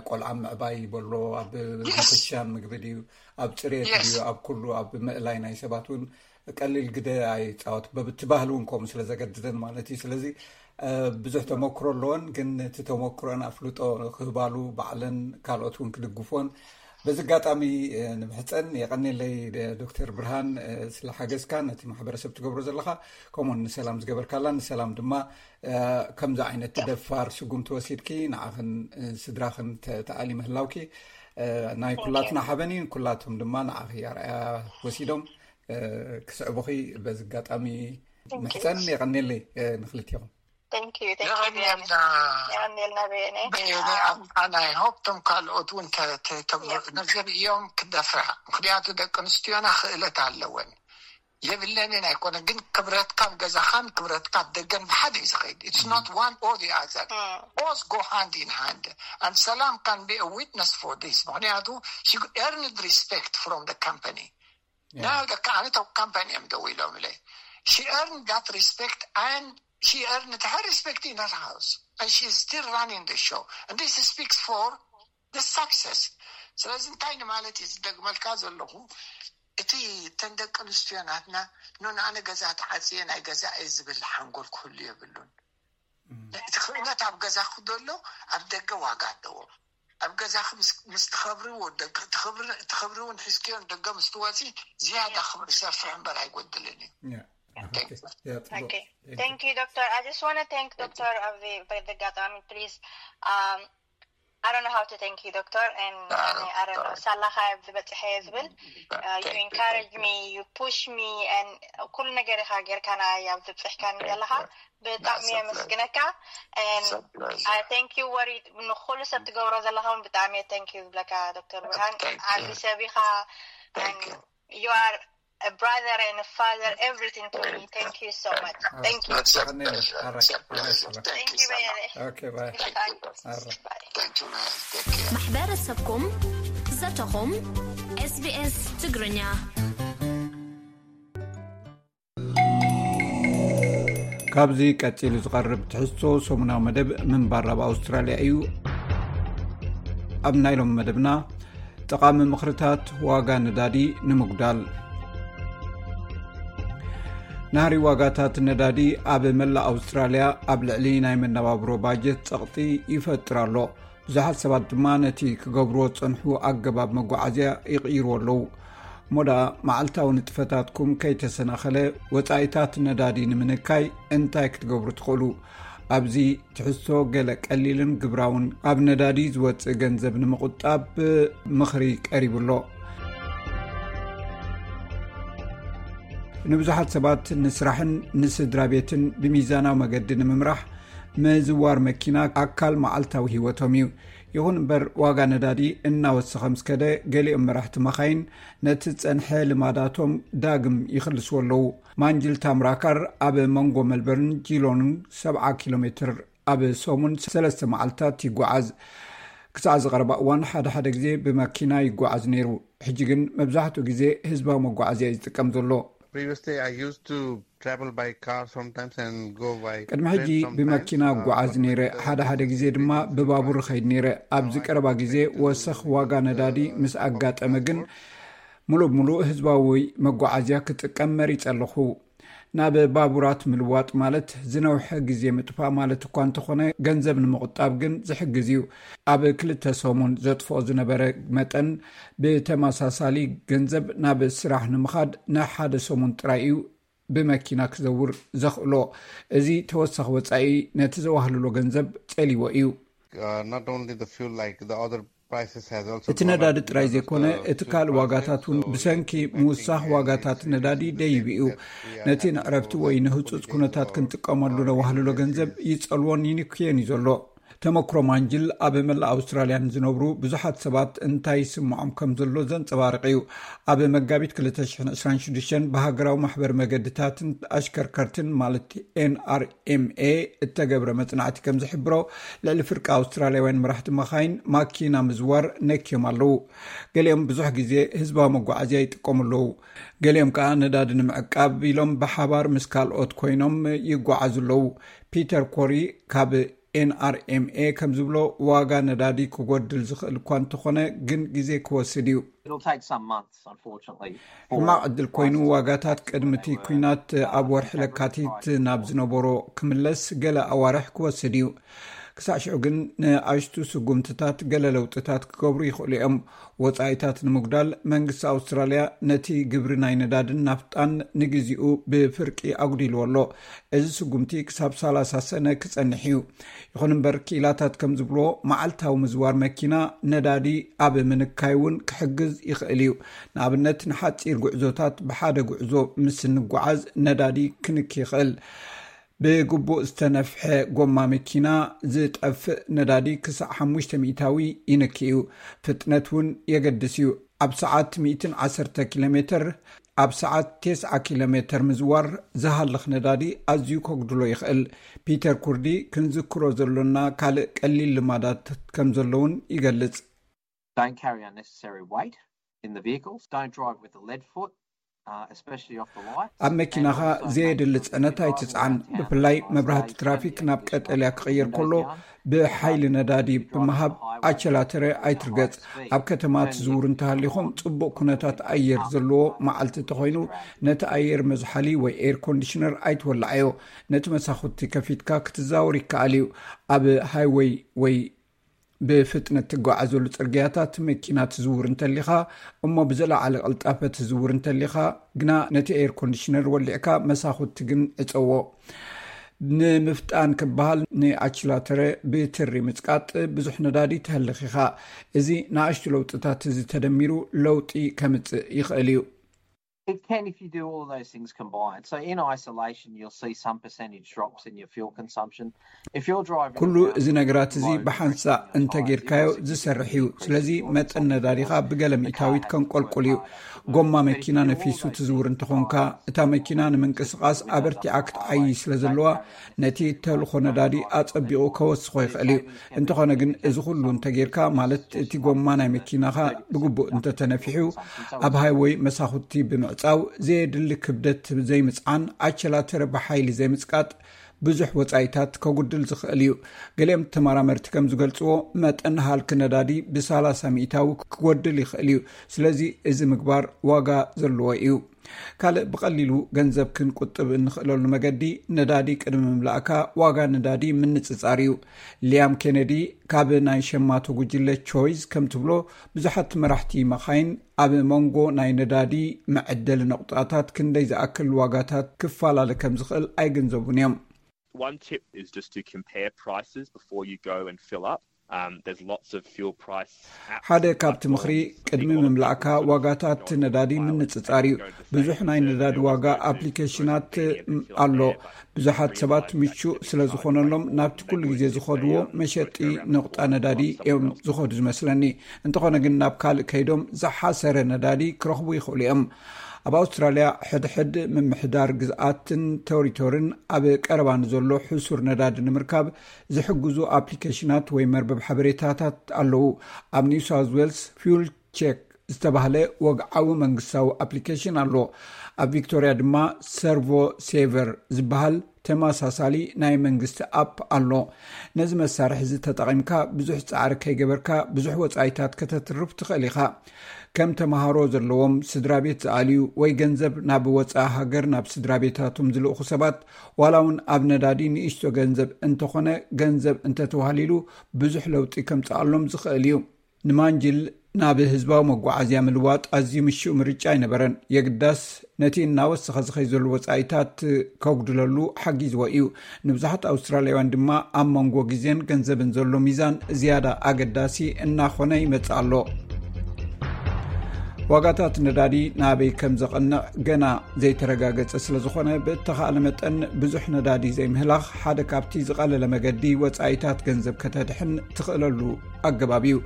ቆልዓ ምዕባይ ይበሎ፣ ኣብ ምክሻን ምግቢ ድዩ፣ ኣብ ፅሬት ድዩ፣ ኣብ ኩሉ፣ ኣብ ምእላይ ናይ ሰባት እውን ቀሊል ግደ ኣይፃወት። በብቲ ባህሊ እውን ከምኡ ስለ ዘገድደን ማለት እዩ። ስለዚ ብዙሕ ተመክሮ ኣለወን፣ ግን እቲ ተመክሮን ኣፍልጦ ክህባሉ ባዕለን ካልኦት እውን ክድግፎን በዚ ኣጋጣሚ ንምሕፀን። የቐኔለይ ዶክተር ብርሃን፣ ስለ ሓገዝካ ነቲ ማሕበረሰብ ትገብሮ ዘለኻ፣ ከምኡውን ንሰላም ዝገበርካላ። ንሰላም ድማ ከምዚ ዓይነት ደፋር ስጉምቲ ወሲድኪ ንዓኽን ስድራኽን ተኣሊ ምህላውኪ ናይ ኩላትና ሓበን እዩ። ኩላቶም ድማ ንዓኺ ኣርኣያ ወሲዶም ክስዕቡኺ በዚ ኣጋጣሚ ምሕፀን። የቐኔለይ ንክልቲኹም። የቐኔልና። ኣይ ሆፕ ቶም ካልኦት እውን ነዘርእዮም ክደፍራ፣ ምክንያቱ ደቂ ኣንስትዮና ክእለት ኣለወን። የብለንን ኣይኮነ፣ ግን ክብረትካ ኣብ ገዛኻን ክብረትካ ኣብ ደገን ብሓደ እዩ ዝኸይድ። It's not one or the other. Both go hand in hand. And ሰላም can be a witness for this. ምክንያቱ she earned respect from the company. Now the ኣነ ቶም ካምፓኒ እዮም ደው ኢሎም ኢለ። She earned that respect and she earned her respect in her house. And she is still running the show. And this speaks for the success. ስለዚ እንታይ ንማለት እዩ ዝደግመልካ ዘለኹ? እቲ እተን ደቂ ኣንስትዮ ናትና፣ ኖ፣ ንኣነ ገዛ ተዓፅየ ናይ ገዛ እየ ዝብል ሓንጎል ክህሉ የብሉን። እቲ ክእለት ኣብ ገዛኹ ዘሎ ኣብ ደገ ዋጋ ኣለዎ። ኣብ ገዛኺ ምስ ትኸብሪ፣ ትኸብሪ እውን ሒዝክዮ ንደገ ምስ ትወፂ ዝያዳ ክብሪ ሰፍሕ እምበር ኣይጎድልን እዩ። Thank you, Doctor. I just want to thank Doctor ኣብዚ በዚ ኣጋጣሚ please. Um, I don't know how to thank you, Doctor, and I don't know ሳላኻ ኣብዚ በፅሐ ዝብል you encourage me, you push me, and ኩሉ ነገር ኢኻ ጌርካና ኣብዚ ብፅሕካኒ ዘለኻ ብጣዕሚ የመስግነካ። And I thank you what ንኩሉ ሰብ ትገብሮ ዘለኻ እውን ብጣዕሚ thank you ዝብለካ ዶክተር ብርሃን። ዓቢ ሰብ ኢኻ። You are a brother and a father, everything to me. Thank you so much. Thank you. Thank you very much. Okay, bye. Bye. ማሕበረሰብኩም ዘተኹም SBS ትግርኛ። ካብዚ ቀጺሉ ዝቐርብ ትሕዝቶ ሰሙናዊ መደብ ምንባር ኣብ ኣውስትራልያ እዩ። ኣብ ናይ ሎሚ መደብና ጠቓሚ ምኽርታት ዋጋ ነዳዲ ንምጉዳል። ናህሪ ዋጋታት ነዳዲ ኣብ መላእ ኣውስትራልያ ኣብ ልዕሊ ናይ መነባብሮ ባጀት ጸቕጢ ይፈጥር ኣሎ። ብዙሓት ሰባት ድማ ነቲ ክገብርዎ ዝጸንሑ ኣገባብ መጓዓዝያ ይቕይርዎ ኣለዉ። እሞ ደኣ መዓልታዊ ንጥፈታትኩም ከይተሰናኸለ ወጻኢታት ነዳዲ ንምንካይ እንታይ ክትገብሩ ትኽእሉ? ኣብዚ ትሕዝቶ ገለ ቀሊልን ግብራውን ኣብ ነዳዲ ዝወጽእ ገንዘብ ንምቑጣብ ምኽሪ ቀሪቡ ኣሎ። ንብዙሓት ሰባት ንስራሕን ንስድራ ቤትን ብሚዛናዊ መገዲ ንምምራሕ ምዝዋር መኪና ኣካል መዓልታዊ ህይወቶም እዩ። ይኹን እምበር ዋጋ ነዳዲ እናወሰኸ ምስ ከደ ገሊኦም መራሕቲ መኻይን ነቲ ዝጸንሐ ልማዳቶም ዳግም ይኽልስዎ ኣለዉ። ማንጅል ታምራካር ኣብ መንጎ መልበርን ጂሎንን ሰብዓ ኪሎ ሜትር ኣብ ሰሙን ሰለስተ መዓልታት ይጓዓዝ። ክሳዕ ዝቐረባ እዋን ሓደ ሓደ ግዜ ብመኪና ይጓዓዝ ነይሩ። ሕጂ ግን መብዛሕትኡ ግዜ ህዝባዊ መጓዓዝያ እዩ ዝጥቀም ዘሎ። Previously, I used to travel by car sometimes and go by ቅድሚ ሕጂ ብመኪና እጓዓዝ ነይረ። ሓደ ሓደ ግዜ ድማ ብባቡር ኸይድ ነይረ። ኣብዚ ቀረባ ግዜ ወሰኽ ዋጋ ነዳዲ ምስ ኣጋጠመ ግን፣ ሙሉእ ብሙሉእ ህዝባዊ መጓዓዝያ ክጥቀም መሪጸ ኣለኹ። ናብ ባቡራት ምልዋጥ ማለት ዝነውሐ ግዜ ምጥፋእ ማለት እኳ እንተኾነ፣ ገንዘብ ንምቑጣብ ግን ዝሕግዝ እዩ። ኣብ ክልተ ሰሙን ዘጥፍኦ ዝነበረ መጠን፣ ብተመሳሳሊ ገንዘብ ናብ ስራሕ ንምኻድ ንሓደ ሰሙን ጥራይ እዩ ብመኪና ክዘውር ዘኽእሎ። እዚ ተወሳኺ ወጻኢ ነቲ ዘዋህልሎ ገንዘብ ጸሊዎ እዩ። እቲ ነዳዲ ጥራይ ዘይኮነ፣ እቲ ካልእ ዋጋታት እውን ብሰንኪ ምውሳኽ ዋጋታት ነዳዲ ደይቡ እዩ። ነቲ ንዕረፍቲ ወይ ንህጹጽ ኩነታት ክንጥቀመሉ ነዋህልሎ ገንዘብ ይጸልዎን ይንክዮን እዩ ዘሎ። ተመክሮ ማንጅል ኣብ መላእ ኣውስትራልያ ንዝነብሩ ብዙሓት ሰባት እንታይ ይስምዖም ከም ዘሎ ዘንጸባርቕ እዩ። ኣብ መጋቢት ክልተ ሽሕን ዕስራን ሽዱሽተን ብሃገራዊ ማሕበር መገድታትን ኣሽከርከርትን ማለት ኤንኣርኤምኤ እተገብረ መጽናዕቲ ከም ዝሕብሮ፣ ልዕሊ ፍርቂ ኣውስትራልያውያን መራሕቲ መኻይን ማኪና ምዝዋር ነክዮም ኣለዉ። ገሊኦም ብዙሕ ግዜ ህዝባዊ መጓዓዝያ ይጥቀሙ ኣለዉ። ገሊኦም ከኣ ነዳዲ ንምዕቃብ ኢሎም ብሓባር ምስ ካልኦት ኮይኖም ይጓዓዙ ኣለዉ። ፒተር ኮሪ ካብ ኤንኣርኤምኤ ከም ዝብሎ፣ ዋጋ ነዳዲ ክጎድል ዝኽእል እኳ እንተኾነ፣ ግን ግዜ ክወስድ እዩ። ሕማቕ ዕድል ኮይኑ፣ ዋጋታት ቅድሚ እቲ ኲናት ኣብ ወርሒ ለካቲት ናብ ዝነበሮ ክምለስ ገለ ኣዋርሕ ክወስድ እዩ። ክሳዕ ሽዑ ግን ንኣሽቱ ስጉምትታት ገለ ለውጥታት ክገብሩ ይኽእሉ እዮም። ወጻኢታት ንምጉዳል መንግስቲ ኣውስትራልያ ነቲ ግብሪ ናይ ነዳድን ናፍጣን ንግዚኡ ብፍርቂ ኣጉዲልዎ ኣሎ። እዚ ስጉምቲ ክሳብ ሰላሳ ሰነ ክጸንሕ እዩ። ይኹን እምበር ክኢላታት ከም ዝብልዎ መዓልታዊ ምዝዋር መኪና ነዳዲ ኣብ ምንካይ እውን ክሕግዝ ይኽእል እዩ። ንኣብነት ንሓጺር ጉዕዞታት ብሓደ ጉዕዞ ምስ እንጓዓዝ ነዳዲ ክንኪ ይኽእል። ብግቡእ ዝተነፍሐ ጎማ መኪና ዝጠፍእ ነዳዲ ክሳዕ ሓሙሽተ ሚእታዊ ይንኪ እዩ። ፍጥነት እውን የገድስ እዩ። ኣብ ሰዓት ሚእትን ዓሰርተ ኪሎ ሜትር፣ ኣብ ሰዓት ተስዓ ኪሎ ሜትር ምዝዋር ዝሃልኽ ነዳዲ ኣዝዩ ከጉድሎ ይኽእል። ፒተር ኩርዲ ክንዝክሮ ዘሎና ካልእ ቀሊል ልማዳት ከም ዘሎ እውን ይገልጽ። Don't carry unnecessary weight in the vehicles. Don't drive with a lead foot. ኣብ መኪናኻ ዘየድሊ ጽዕነት ኣይትጽዓን። ብፍላይ መብራህቲ ትራፊክ ናብ ቀጠልያ ክቕየር ከሎ ብሓይሊ ነዳዲ ብምሃብ ኣቸላተረ ኣይትርገጽ። ኣብ ከተማ ትዝውሩ እንተሃሊኹም፣ ጽቡቕ ኩነታት ኣየር ዘለዎ መዓልቲ እንተኾይኑ፣ ነቲ ኣየር መዝሓሊ ወይ ኤር ኮንዲሽነር ኣይትወልዓዮ። ነቲ መሳኹቲ ከፊትካ ክትዛወር ይከኣል እዩ። ኣብ ሃይወይ ወይ ብፍጥነት ትጓዓዘሉ ጽርግያታት መኪና ትዝውር እንተሊኻ፣ እሞ ብዝለዓለ ቅልጣፈ ትዝውር እንተሊኻ ግና፣ ነቲ ኤር ኮንዲሽነር ወሊዕካ መሳኹቲ ግን ዕጸዎ። ንምፍጣን ክበሃል ንኣችላተረ ብትሪ ምጽቃጥ ብዙሕ ነዳዲ ተህልኽ ኢኻ። እዚ ንኣሽቱ ለውጥታት እዚ ተደሚሩ ለውጢ ከምጽእ ይኽእል እዩ። It can if you do all those things combined. So in isolation, you'll see some percentage drops in your fuel consumption. If you're driving ኩሉ እዚ ነገራት እዚ ብሓንሳእ እንተጌርካዮ ዝሰርሕ እዩ። ስለዚ መጠን ነዳዲኻ ብገለ ሚእታዊት ከንቆልቁል እዩ። ጎማ መኪና ነፊሱ ትዝውር እንተኾንካ፣ እታ መኪና ንምንቅስቓስ ኣበርቲዓ ክትዓይ ስለ ዘለዋ፣ ነቲ ተልኾ ነዳዲ ኣጸቢቑ ከወስኾ ይኽእል እዩ። እንተኾነ ግን እዚ ኩሉ እንተጌርካ፣ ማለት እቲ ጎማ ናይ መኪናኻ ብግቡእ እንተተነፊሑ፣ ኣብ ሃይወይ መሳኹቲ ብምዕጻው፣ ዘየድሊ ክብደት ዘይምጽዓን፣ ኣቸላተረ ብሓይሊ ዘይምጽቃጥ ብዙሕ ወጻኢታት ከጉድል ዝኽእል እዩ። ገሊኦም ተመራመርቲ ከም ዝገልጽዎ፣ መጠን ሃልኪ ነዳዲ ብሰላሳ ሚእታዊ ክጎድል ይኽእል እዩ። ስለዚ እዚ ምግባር ዋጋ ዘለዎ እዩ። ካልእ ብቐሊሉ ገንዘብ ክንቁጥብ እንኽእለሉ መገዲ፣ ነዳዲ ቅድሚ ምምላእካ ዋጋ ነዳዲ ምንጽጻር እዩ። ሊያም ኬነዲ ካብ ናይ ሸማቶ ጉጅለ ቾይዝ ከም ትብሎ፣ ብዙሓት መራሕቲ መኻይን ኣብ መንጎ ናይ ነዳዲ መዐደሊ ነቑጣታት ክንደይ ዝኣክል ዋጋታት ክፈላለ ከም ዝኽእል ኣይግንዘቡን እዮም። One tip is just to compare prices before you go and fill up. Um, there's lots of fuel price apps. ሓደ ካብቲ ምኽሪ ቅድሚ ምምላእካ ዋጋታት ነዳዲ ምንጽጻር እዩ። ብዙሕ ናይ ነዳዲ ዋጋ ኣፕሊኬሽናት ኣሎ። ብዙሓት ሰባት ምቹእ ስለ ዝኾነሎም ናብቲ ኩሉ ግዜ ዝኸድዎ መሸጢ ነቑጣ ነዳዲ እዮም ዝኸዱ ዝመስለኒ። እንተኾነ ግን ናብ ካልእ ከይዶም ዝሓሰረ ነዳዲ ክረኽቡ ይኽእሉ እዮም። ኣብ ኣውስትራልያ ሕድሕድ ምምሕዳር ግዝኣትን ቴሪቶርን ኣብ ቀረባ ንዘሎ ሕሱር ነዳዲ ንምርካብ ዝሕግዙ ኣፕሊኬሽናት ወይ መርበብ ሓበሬታታት ኣለዉ። ኣብ ኒው ሳውዝ ዌልስ ፊውል ቼክ ዝተባህለ ወግዓዊ መንግስታዊ ኣፕሊኬሽን ኣሎ። ኣብ ቪክቶርያ ድማ ሰርቮ ሴቨር ዝበሃል ተመሳሳሊ ናይ መንግስቲ ኣፕ ኣሎ። ነዚ መሳርሒ እዚ ተጠቒምካ ብዙሕ ጻዕሪ ከይገበርካ ብዙሕ ወጻኢታት ከተትርፍ ትኽእል ኢኻ። ከም ተምሃሮ ዘለዎም ስድራ ቤት ዝኣልዩ ወይ ገንዘብ ናብ ወጻኢ ሃገር ናብ ስድራ ቤታቶም ዝልእኹ ሰባት፣ ዋላ እውን ኣብ ነዳዲ ንእሽቶ ገንዘብ እንተኾነ፣ ገንዘብ እንተተዋህሊሉ ብዙሕ ለውጢ ከምጽኣሎም ዝኽእል እዩ። ንማንጅል ናብ ህዝባዊ መጓዓዝያ ምልዋጥ ኣዝዩ ምሹእ ምርጫ ኣይነበረን። የግዳስ ነቲ እናወሰኸ ዝኸይ ዘሎ ወጻኢታት ከጉድለሉ ሓጊዝዎ እዩ። ንብዙሓት ኣውስትራልያውያን ድማ ኣብ መንጎ ግዜን ገንዘብን ዘሎ ሚዛን ዝያዳ ኣገዳሲ እናኾነ ይመጽእ ኣሎ። ዋጋታት ነዳዲ ናበይ ከም ዘቐንዕ ገና ዘይተረጋገጸ ስለ ዝኾነ፣ ብእተኻእለ መጠን ብዙሕ ነዳዲ ዘይምህላኽ ሓደ ካብቲ ዝቐለለ መገዲ ወጻኢታት ገንዘብ ከተድሕን ትኽእለሉ ኣገባብ እዩ።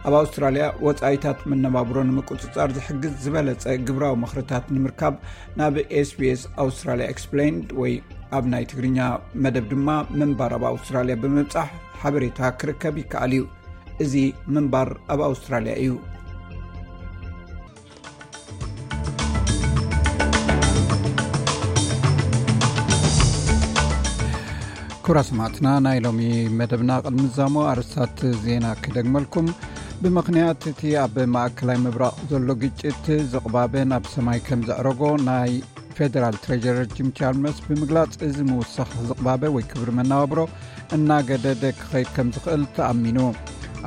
ኣብ ኣውስትራልያ ወጻኢታት መነባብሮ ንምቁጽጻር ዝሕግዝ ዝበለጸ ግብራዊ ምኽርታት ንምርካብ ናብ ኤስቢኤስ ኣውስትራልያ ኤክስፕሌይንድ ወይ ኣብ ናይ ትግርኛ መደብ ድማ ምንባር ኣብ ኣውስትራልያ ብምብጻሕ ሓበሬታ ክርከብ ይከኣል እዩ። እዚ ምንባር ኣብ ኣውስትራልያ እዩ። ክቡራት ሰማዕትና፣ ናይ ሎሚ መደብና ቅድሚ ምዛሙ ኣርእስታት ዜና ክደግመልኩም። ብምኽንያት እቲ ኣብ ማእከላይ ምብራቕ ዘሎ ግጭት ዝቕባበ ናብ ሰማይ ከም ዘዕረጎ ናይ ፌደራል ትሬጀረር ጂም ቻልመርስ ብምግላጽ፣ እዚ ምውሳኽ ዝቕባበ ወይ ክብሪ መነባብሮ እናገደደ ክኸይድ ከም ዝኽእል ተኣሚኑ።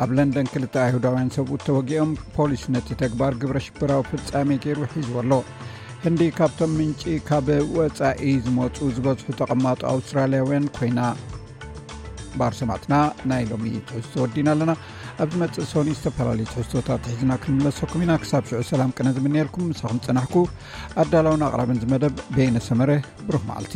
ኣብ ለንደን ክልተ ኣይሁዳውያን ሰብኡት ተወጊኦም፣ ፖሊስ ነቲ ተግባር ግብረ ሽበራዊ ፍጻሜ ገይሩ ሒዝዎ ኣሎ። ህንዲ ካብቶም ምንጪ ካብ ወጻኢ ዝመጹ ዝበዝሑ ተቐማጦ ኣውስትራልያውያን ኮይና። ባር ሰማዕትና፣ ናይ ሎሚ ትሕዝቶ ወዲና ኣለና። ኣብ ዝመጽእ ሶኒ ዝተፈላለዩ ትሕዝቶታት ሒዝና ክንምለሰኩም ኢና። ክሳብ ሽዑ ሰላም ቅነ ዝምንየልኩም፣ ምሳኹም ጸናሕኩ። ኣዳላውን ኣቕራብን ዝመደብ በየነ ሰመረ። ብሩኽ መዓልቲ።